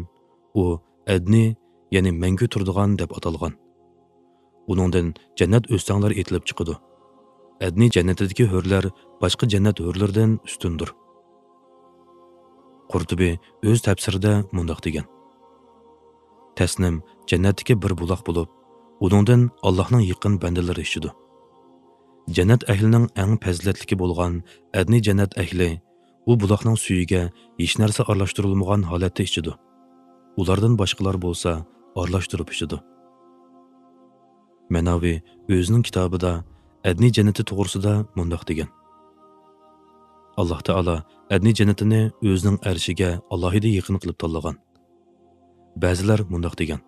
ئۇ ئەدنى، يەنى مەڭگۈ تۇرىدىغان دەپ ئاتالغان. ئۇنىڭدىن جەننەت ئۆستەڭلىرى ئېتىلىپ چىقىدۇ. ئەدنى جەننىتىدىكى ھۆرلەر باشقا جەننەت ھۆرلىرىدىن ئۈستۈندۇر. قۇرتۇبى ئۆز تەپسىرىدە مۇنداق دېگەن: تەسنىم جەننەتتىكى بىر بۇلاق بولۇپ، ئۇنىڭدىن ئاللاھنىڭ يېقىن بەندىلىرى ئىچىدۇ. جەننەت ئەھلىنىڭ ئەڭ پەزىلەتلىكى بولغان ئەدنى جەننەت ئەھلى ئۇ بۇلاقنىڭ سۈيىگە ھېچ نەرسە ئارىلاشتۇرۇلمىغان ھالەتتە ئىچىدۇ. ئۇلاردىن باشقىلار بولسا ئارىلاشتۇرۇپ ئىچىدۇ. مەناۋى ئۆزىنىڭ كىتابىدا ئەدنى جەننىتى توغرىسىدا مۇنداق دېگەن: ئاللاھ تائالا ئەدنى جەننىتىنى ئۆزىنىڭ ئەرشىگە ئالاھىدە يېقىن قىلىپ تاللىغان. بەزىلەر مۇنداق دېگەن: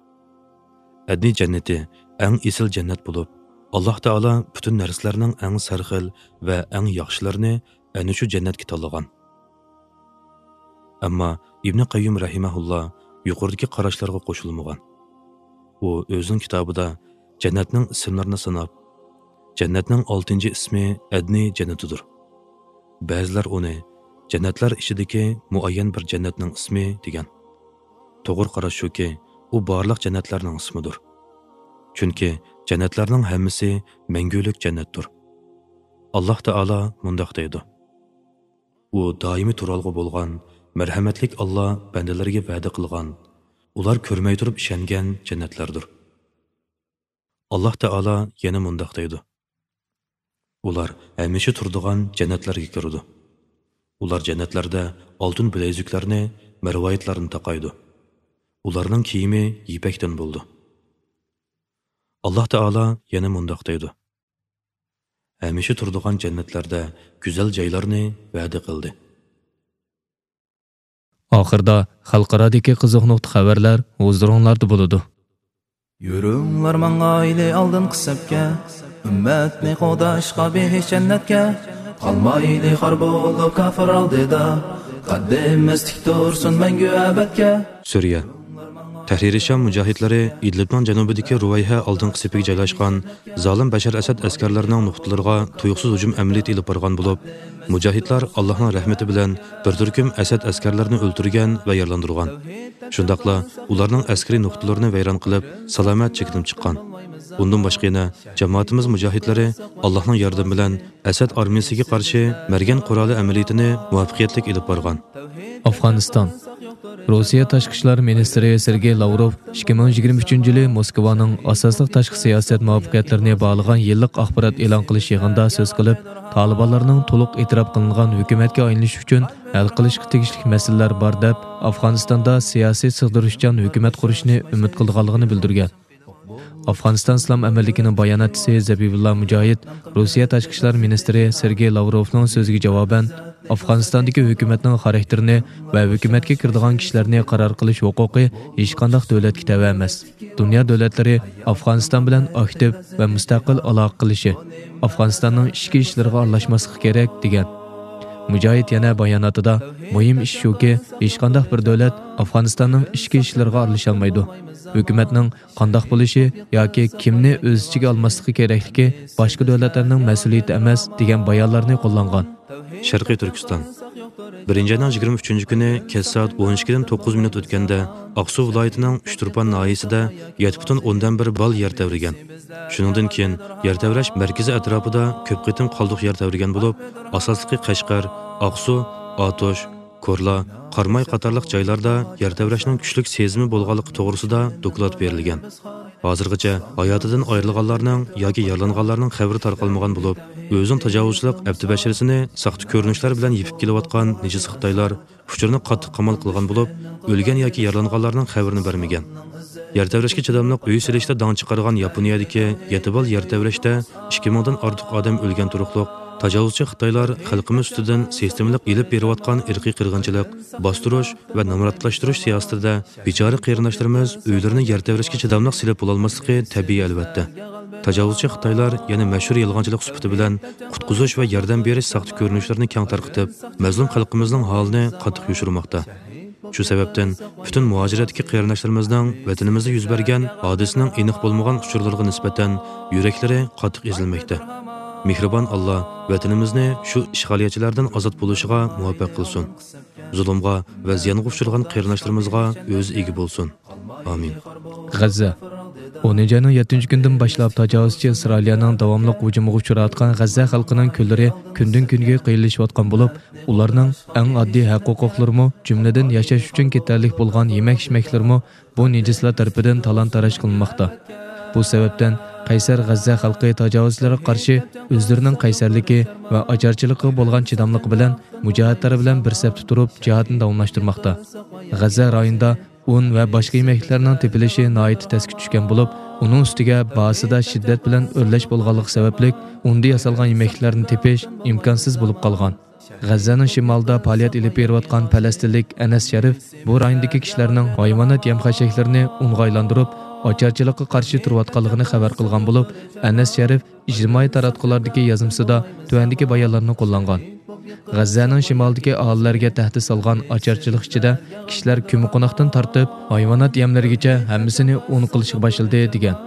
ئەدنى جەننىتى ئەڭ ئېسىل جەننەت بولۇپ، ئاللاھ تائالا پۈتۈن نەرسىلەرنىڭ ئەڭ سەرخىل ۋە ئەڭ ياخشىلىرىنى ئەنە شۇ جەننەتكە تاللىغان. ئەمما ئىبنى قەييۇم رەھىمەھۇللا يۇقىرىدىكى قاراشلارغا قوشۇلمىغان. ئۇ ئۆزىنىڭ كىتابىدا جەننەتنىڭ ئىسىملىرىنى ساناپ، جەننەتنىڭ ئالتىنچى ئىسمى ئەدنى جەننىتىدۇر. بەزىلەر ئۇنى جەننەتلەر ئىچىدىكى مۇئەييەن بىر جەننەتنىڭ ئىسمى دېگەن. توغرا قاراش شۇكى، ئۇ بارلىق جەننەتلەرنىڭ ئىسمىدۇر. چۈنكى جەننەتلەرنىڭ ھەممىسى مەڭگۈلۈك جەننەتتۇر. ئاللاھ تائالا مۇنداق دەيدۇ: ئۇ دائىمىي تۇرالغۇ بولغان مەرھەمەتلىك ئاللاھ بەندىلىرىگە ۋەدە قىلغان، ئۇلار كۆرمەي تۇرۇپ ئىشەنگەن جەننەتلەردۇر. ئاللاھ تائالا يەنە مۇنداق دەيدۇ: ئۇلار ھەمىشە تۇرىدىغان جەننەتلەرگە كىرىدۇ. ئۇلار جەننەتلەردە ئالتۇن بىلەيزۈكلەرنى، مەرۋايىتلارنى تاقايدۇ. ئۇلارنىڭ كىيىمى يىپەكتىن بولىدۇ. ئاللاھ تائالا يەنە مۇنداق دەيدۇ: ھەمىشە تۇرىدىغان جەننەتلەردە گۈزەل جايلارنى ۋەدە قىلدى. ئاخىردا خەلقئارادىكى قىزىق نۇقتا خەۋەرلەر ھۇزۇرۇڭلاردا بولىدۇ. يۈرۈڭلار ماڭايلى ئالدىنقى سەپكە، ئۈممەتنى قوغداشقا بېھىش جەننەتكە. قالمايلى خار بولۇپ كاپىر ئالدىدا، قەددىمىز تىك تۇرسۇن مەڭگۈ ئەبەدكە. سۈرىيە. تەھرىرىي شام مۇجاھىدلىرى ئىدلىبنىڭ جەنۇبىدىكى رۇۋەيھە ئالدىنقى سېپىگە جايلاشقان زالىم بەشار ئەسەد ئەسكەرلىرىنىڭ نۇقتىلىرىغا تۇيۇقسىز ھۇجۇم ئەمەلىيىتى ئېلىپ بارغان بولۇپ، مۇجاھىدلار ئاللاھنىڭ رەھمىتى بىلەن بىر تۈركۈم ئەسەد ئەسكەرلىرىنى ئۆلتۈرگەن ۋە يارىلاندۇرغان. شۇنداقلا ئۇلارنىڭ ئەسكىرىي نۇقتىلىرىنى ۋەيران قىلىپ، سالامەت چېكىنىپ چىققان. ئۇندىن باشقا يەنە جامائىتىمىز مۇجاھىدلىرى ئاللاھنىڭ ياردىمى بىلەن ئەسەد ئارمىيىسىگە قارشى مەرگەن قورالى ئەمەلىيىتىنى مۇۋەپپەقىيەتلىك ئېلىپ بارغان. ئافغانىستان. روسىيە تاشقى ئىشلار مىنىستىرى سېرگېي لاۋروف ئىككى مىڭ يىگىرمە ئۈچىنچى يىلى موسكۋانىڭ ئاساسلىق تاشقى سىياسەت مۇۋەپپەقىيەتلىرىنى باھالىغان يىللىق ئاخبارات ئېلان قىلىش يىغىنىدا سۆز قىلىپ، تالىبانلارنىڭ تولۇق ئېتىراپ قىلىنغان ھۆكۈمەتكە ئايلىنىش ئۈچۈن ھەل قىلىشقا تېگىشلىك مەسىلىلەر بار دەپ، ئافغانىستاندا سىياسىي سىغدۇرۇشچان ھۆكۈمەت قۇرۇشنى ئۈمىد قىلىدىغانلىقىنى بىلدۈرگەن. ئافغانىستان ئىسلام ئەمىرلىكىنىڭ باياناتچىسى زەبىبۇللا مۇجاھىد روسىيە تاشقى ئىشلار مىنىستىرى سېرگېي لاۋروفنىڭ سۆزىگە جاۋابەن، ئافغانىستاندىكى ھۆكۈمەتنىڭ خاراكتېرىنى ۋە ھۆكۈمەتكە كىرىدىغان كىشىلەرنى قارار قىلىش ھوقۇقى ھېچقانداق دۆلەتكە تەۋە ئەمەس. دۇنيا دۆلەتلىرى ئافغانىستان بىلەن ئاكتىپ ۋە مۇستەقىل ئالاقە قىلىشى، ئافغانىستاننىڭ ئىچكى ئىشلىرىغا ئارىلاشماسلىقى كېرەك، دېگەن. مۇجاھىد يەنە باياناتىدا، مۇھىم ئىش شۇكى، ھېچقانداق بىر دۆلەت ئافغانىستاننىڭ ئىچكى ئىشلىرىغا ئارىلىشالمايدۇ. ھۆكۈمەتنىڭ قانداق بولۇشى ياكى كىمنى ئۆز ئىچىگە ئالماسلىقى كېرەكلىكى باشقا دۆلەتلەرنىڭ مەسئۇلىيىتى ئەمەس، دېگەن بايانلارنى قوللانغان. شەرقىي تۈركىستان. بىرىنچى ئاينىڭ يىگىرمە ئۈچىنچى كۈنى كەچ سائەت ئون ئىككىدىن توققۇز مىنۇت ئۆتكەندە، ئاقسۇ ۋىلايىتىنىڭ ئۈچتۇرپان ناھىيەسىدە يەتتە پۈتۈن ئوندىن بىر بال يەر تەۋرىگەن. شۇنىڭدىن كېيىن يەر تەۋرەش مەركىزى ئەتراپىدا كۆپ قېتىم قالدۇق يەر تەۋرىگەن بولۇپ، ئاساسلىقى قەشقەر، ئاقسۇ، ئاتۇش، كورلا، قاراماي قاتارلىق جايلاردا يەر تەۋرەشنىڭ كۈچلۈك سېزىمى بولغانلىقى توغرىسىدا دوكلات بېرىلگەن. ھازىرغىچە ھاياتىدىن ئايرىلغانلارنىڭ ياكى يارىلانغانلارنىڭ خەۋىرى تارقالمىغان بولۇپ، ئۆزىنىڭ تاجاۋۇزچىلىق ئەپتىبەشىرىسىنى ساختا كۆرۈنۈشلەر بىلەن يېپىپ كېلىۋاتقان نىجىس خىتايلار ئۇچۇرنى قاتتىق قامال قىلغان بولۇپ، ئۆلگەن ياكى يارىلانغانلارنىڭ خەۋىرىنى بەرمىگەن. يەر تەۋرەشكە چىداملىق ئۆي سېلىشتا داڭ چىقارغان ياپونىيەدىكى يەتتە بال يەر تەۋرەشتە ئىككى مىڭدىن ئارتۇق ئادەم ئۆلگەن تۇرۇقلۇق، تاجاۋۇزچى خىتايلار خەلقىمىز ئۈستىدىن سىستېمىلىق ئېلىپ بېرىۋاتقان ئىرقىي قىرغىنچىلىق، باستۇرۇش ۋە نامراتلاشتۇرۇش سىياسىتىدە بىچارە قېرىنداشلىرىمىز ئۆيلىرىنى يەر تەۋرەشكە چىداملىق سېلىپ بولالماسلىقى تەبىئىي، ئەلۋەتتە. تاجاۋۇزچى خىتايلار يەنە مەشھۇر يالغانچىلىق سۈپىتى بىلەن قۇتقۇزۇش ۋە ياردەم بېرىش ساختا كۆرۈنۈشلىرىنى كەڭ تارقىتىپ، مەزلۇم خەلقىمىزنىڭ ھالىنى قاتتىق يوشۇرماقتا. شۇ سەۋەبتىن پۈتۈن مۇھاجىرەتتىكى قېرىنداشلىرىمىزنىڭ ۋەتىنىمىزدە يۈز بەرگەن ھادىسىنىڭ ئېنىق بولمىغان ئۇچۇرلىرىغا نىسبەتەن يۈرەكلىرى قاتتىق ئېزىلمەكتە. مېھرىبان ئاللا ۋەتىنىمىزنى شۇ ئىشغالىيەتچىلەردىن ئازاد بولۇشىغا مۇۋەپپەق قىلسۇن. زۇلۇمغا ۋە زىيانغا ئۇچرىغان قېرىنداشلىرىمىزغا ئۆزى ئىگە بولسۇن. ئامىن. غەززە. ئونىنچى ئاينىڭ يەتتىنچى كۈنىدىن باشلاپ تاجاۋۇزچى ئىسرائىلىيەنىڭ داۋاملىق ھۇجۇمىغا ئۇچراۋاتقان غەززە خەلقىنىڭ كۈنلىرى كۈندىن-كۈنگە قىيىنلىشىۋاتقان بولۇپ، ئۇلارنىڭ ئەڭ ئاددىي ھەق-ھوقۇقلىرىمۇ، جۈملىدىن ياشاش ئۈچۈن كېتەرلىك بولغان يېمەك-ئىچمەكلىرىمۇ بۇ نىجىسلار تەرىپىدىن تالان-تاراج قىلىنماقتا. بۇ سەۋەبتىن قەيسەر غەززە خەلقى تاجاۋۇزچىلارغا قارشى ئۆزلىرىنىڭ قەيسەرلىكى ۋە ئاچارچىلىقىغا بولغان چىداملىقى بىلەن مۇجاھىدلار بىلەن بىر سەپتە تۇرۇپ جىھادنى داۋاملاشتۇرماقتا. غەززە رايونىدا ئۇن ۋە باشقا يېمەكلىكلەرنىڭ تېپىلىشى ناھايىتى تەسكە چۈشكەن بولۇپ، ئۇنىڭ ئۈستىگە باھاسىدا شىددەت بىلەن ئۆرلەش بولغانلىقى سەۋەبلىك، ئۇندا ياسالغان يېمەكلىكلەرنى تېپىش ئىمكانسىز بولۇپ قالغان. غەززەنىڭ شىمالىدا پائالىيەت ئېلىپ بېرىۋاتقان پەلەستىنلىك ئەنەس شەرىپ بۇ رايوندىكى كىشىلەرنىڭ ھايۋانات يەم-خەشەكلىرىنى ئۇنغا ئايلاندۇرۇپ، ئاچارچىلىققا قارشى تۇرۇۋاتقانلىقىنى خەۋەر قىلغان بولۇپ، ئەنەس شەرىپ ئىجتىمائىي تاراتقۇلاردىكى يازمىسىدا تۆۋەندىكى بايانلارنى قوللانغان. غەززەنىڭ شىمالىدىكى ئاھالىلەرگە تەھدىت سالغان ئاچارچىلىق ئىچىدە كىشىلەر كۆممىقوناقتىن تارتىپ ھايۋانات يەملىرىگىچە ھەممىسىنى ئۇن قىلىشقا باشلىدى، دېگەن.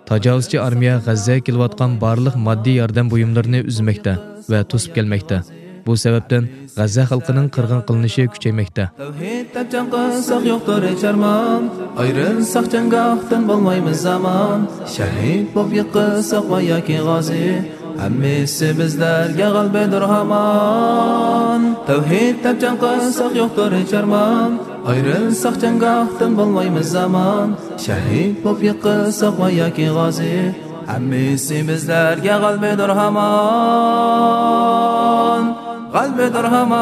تاجاۋۇزچى ئارمىيە غەززەگە كېلىۋاتقان بارلىق ماددىي ياردەم بۇيۇملىرىنى ئۈزمەكتە ۋە توسۇپ كەلمەكتە. بۇ سەۋەبتىن غەززە خەلقىنىڭ قىرغىن قىلىنىشى كۈچەيمەكتە. تەۋھىد دەپ جەڭ قىلساق يوقتۇر ھېچ ئارمان. ئايرىلساق جەڭگاھتىن بولمايمىز ئامان. شەھىد بولۇپ يىقىلساق ۋە ياكى غازى، ھەممىسى بىزلەرگە غەلىبىدۇر ھامان. تەۋھىد دەپ جەڭ قىلساق يوقتۇر ھېچ ئارمان. ئايرىلساق جەڭگاھتىن بولمايمىز ئامان. شەھىد بولۇپ يىقىلساق ۋە ياكى غازى، ھەممىسى بىزلەرگە غەلىبىدۇر ھامان. غەلىبىدۇر ھامان.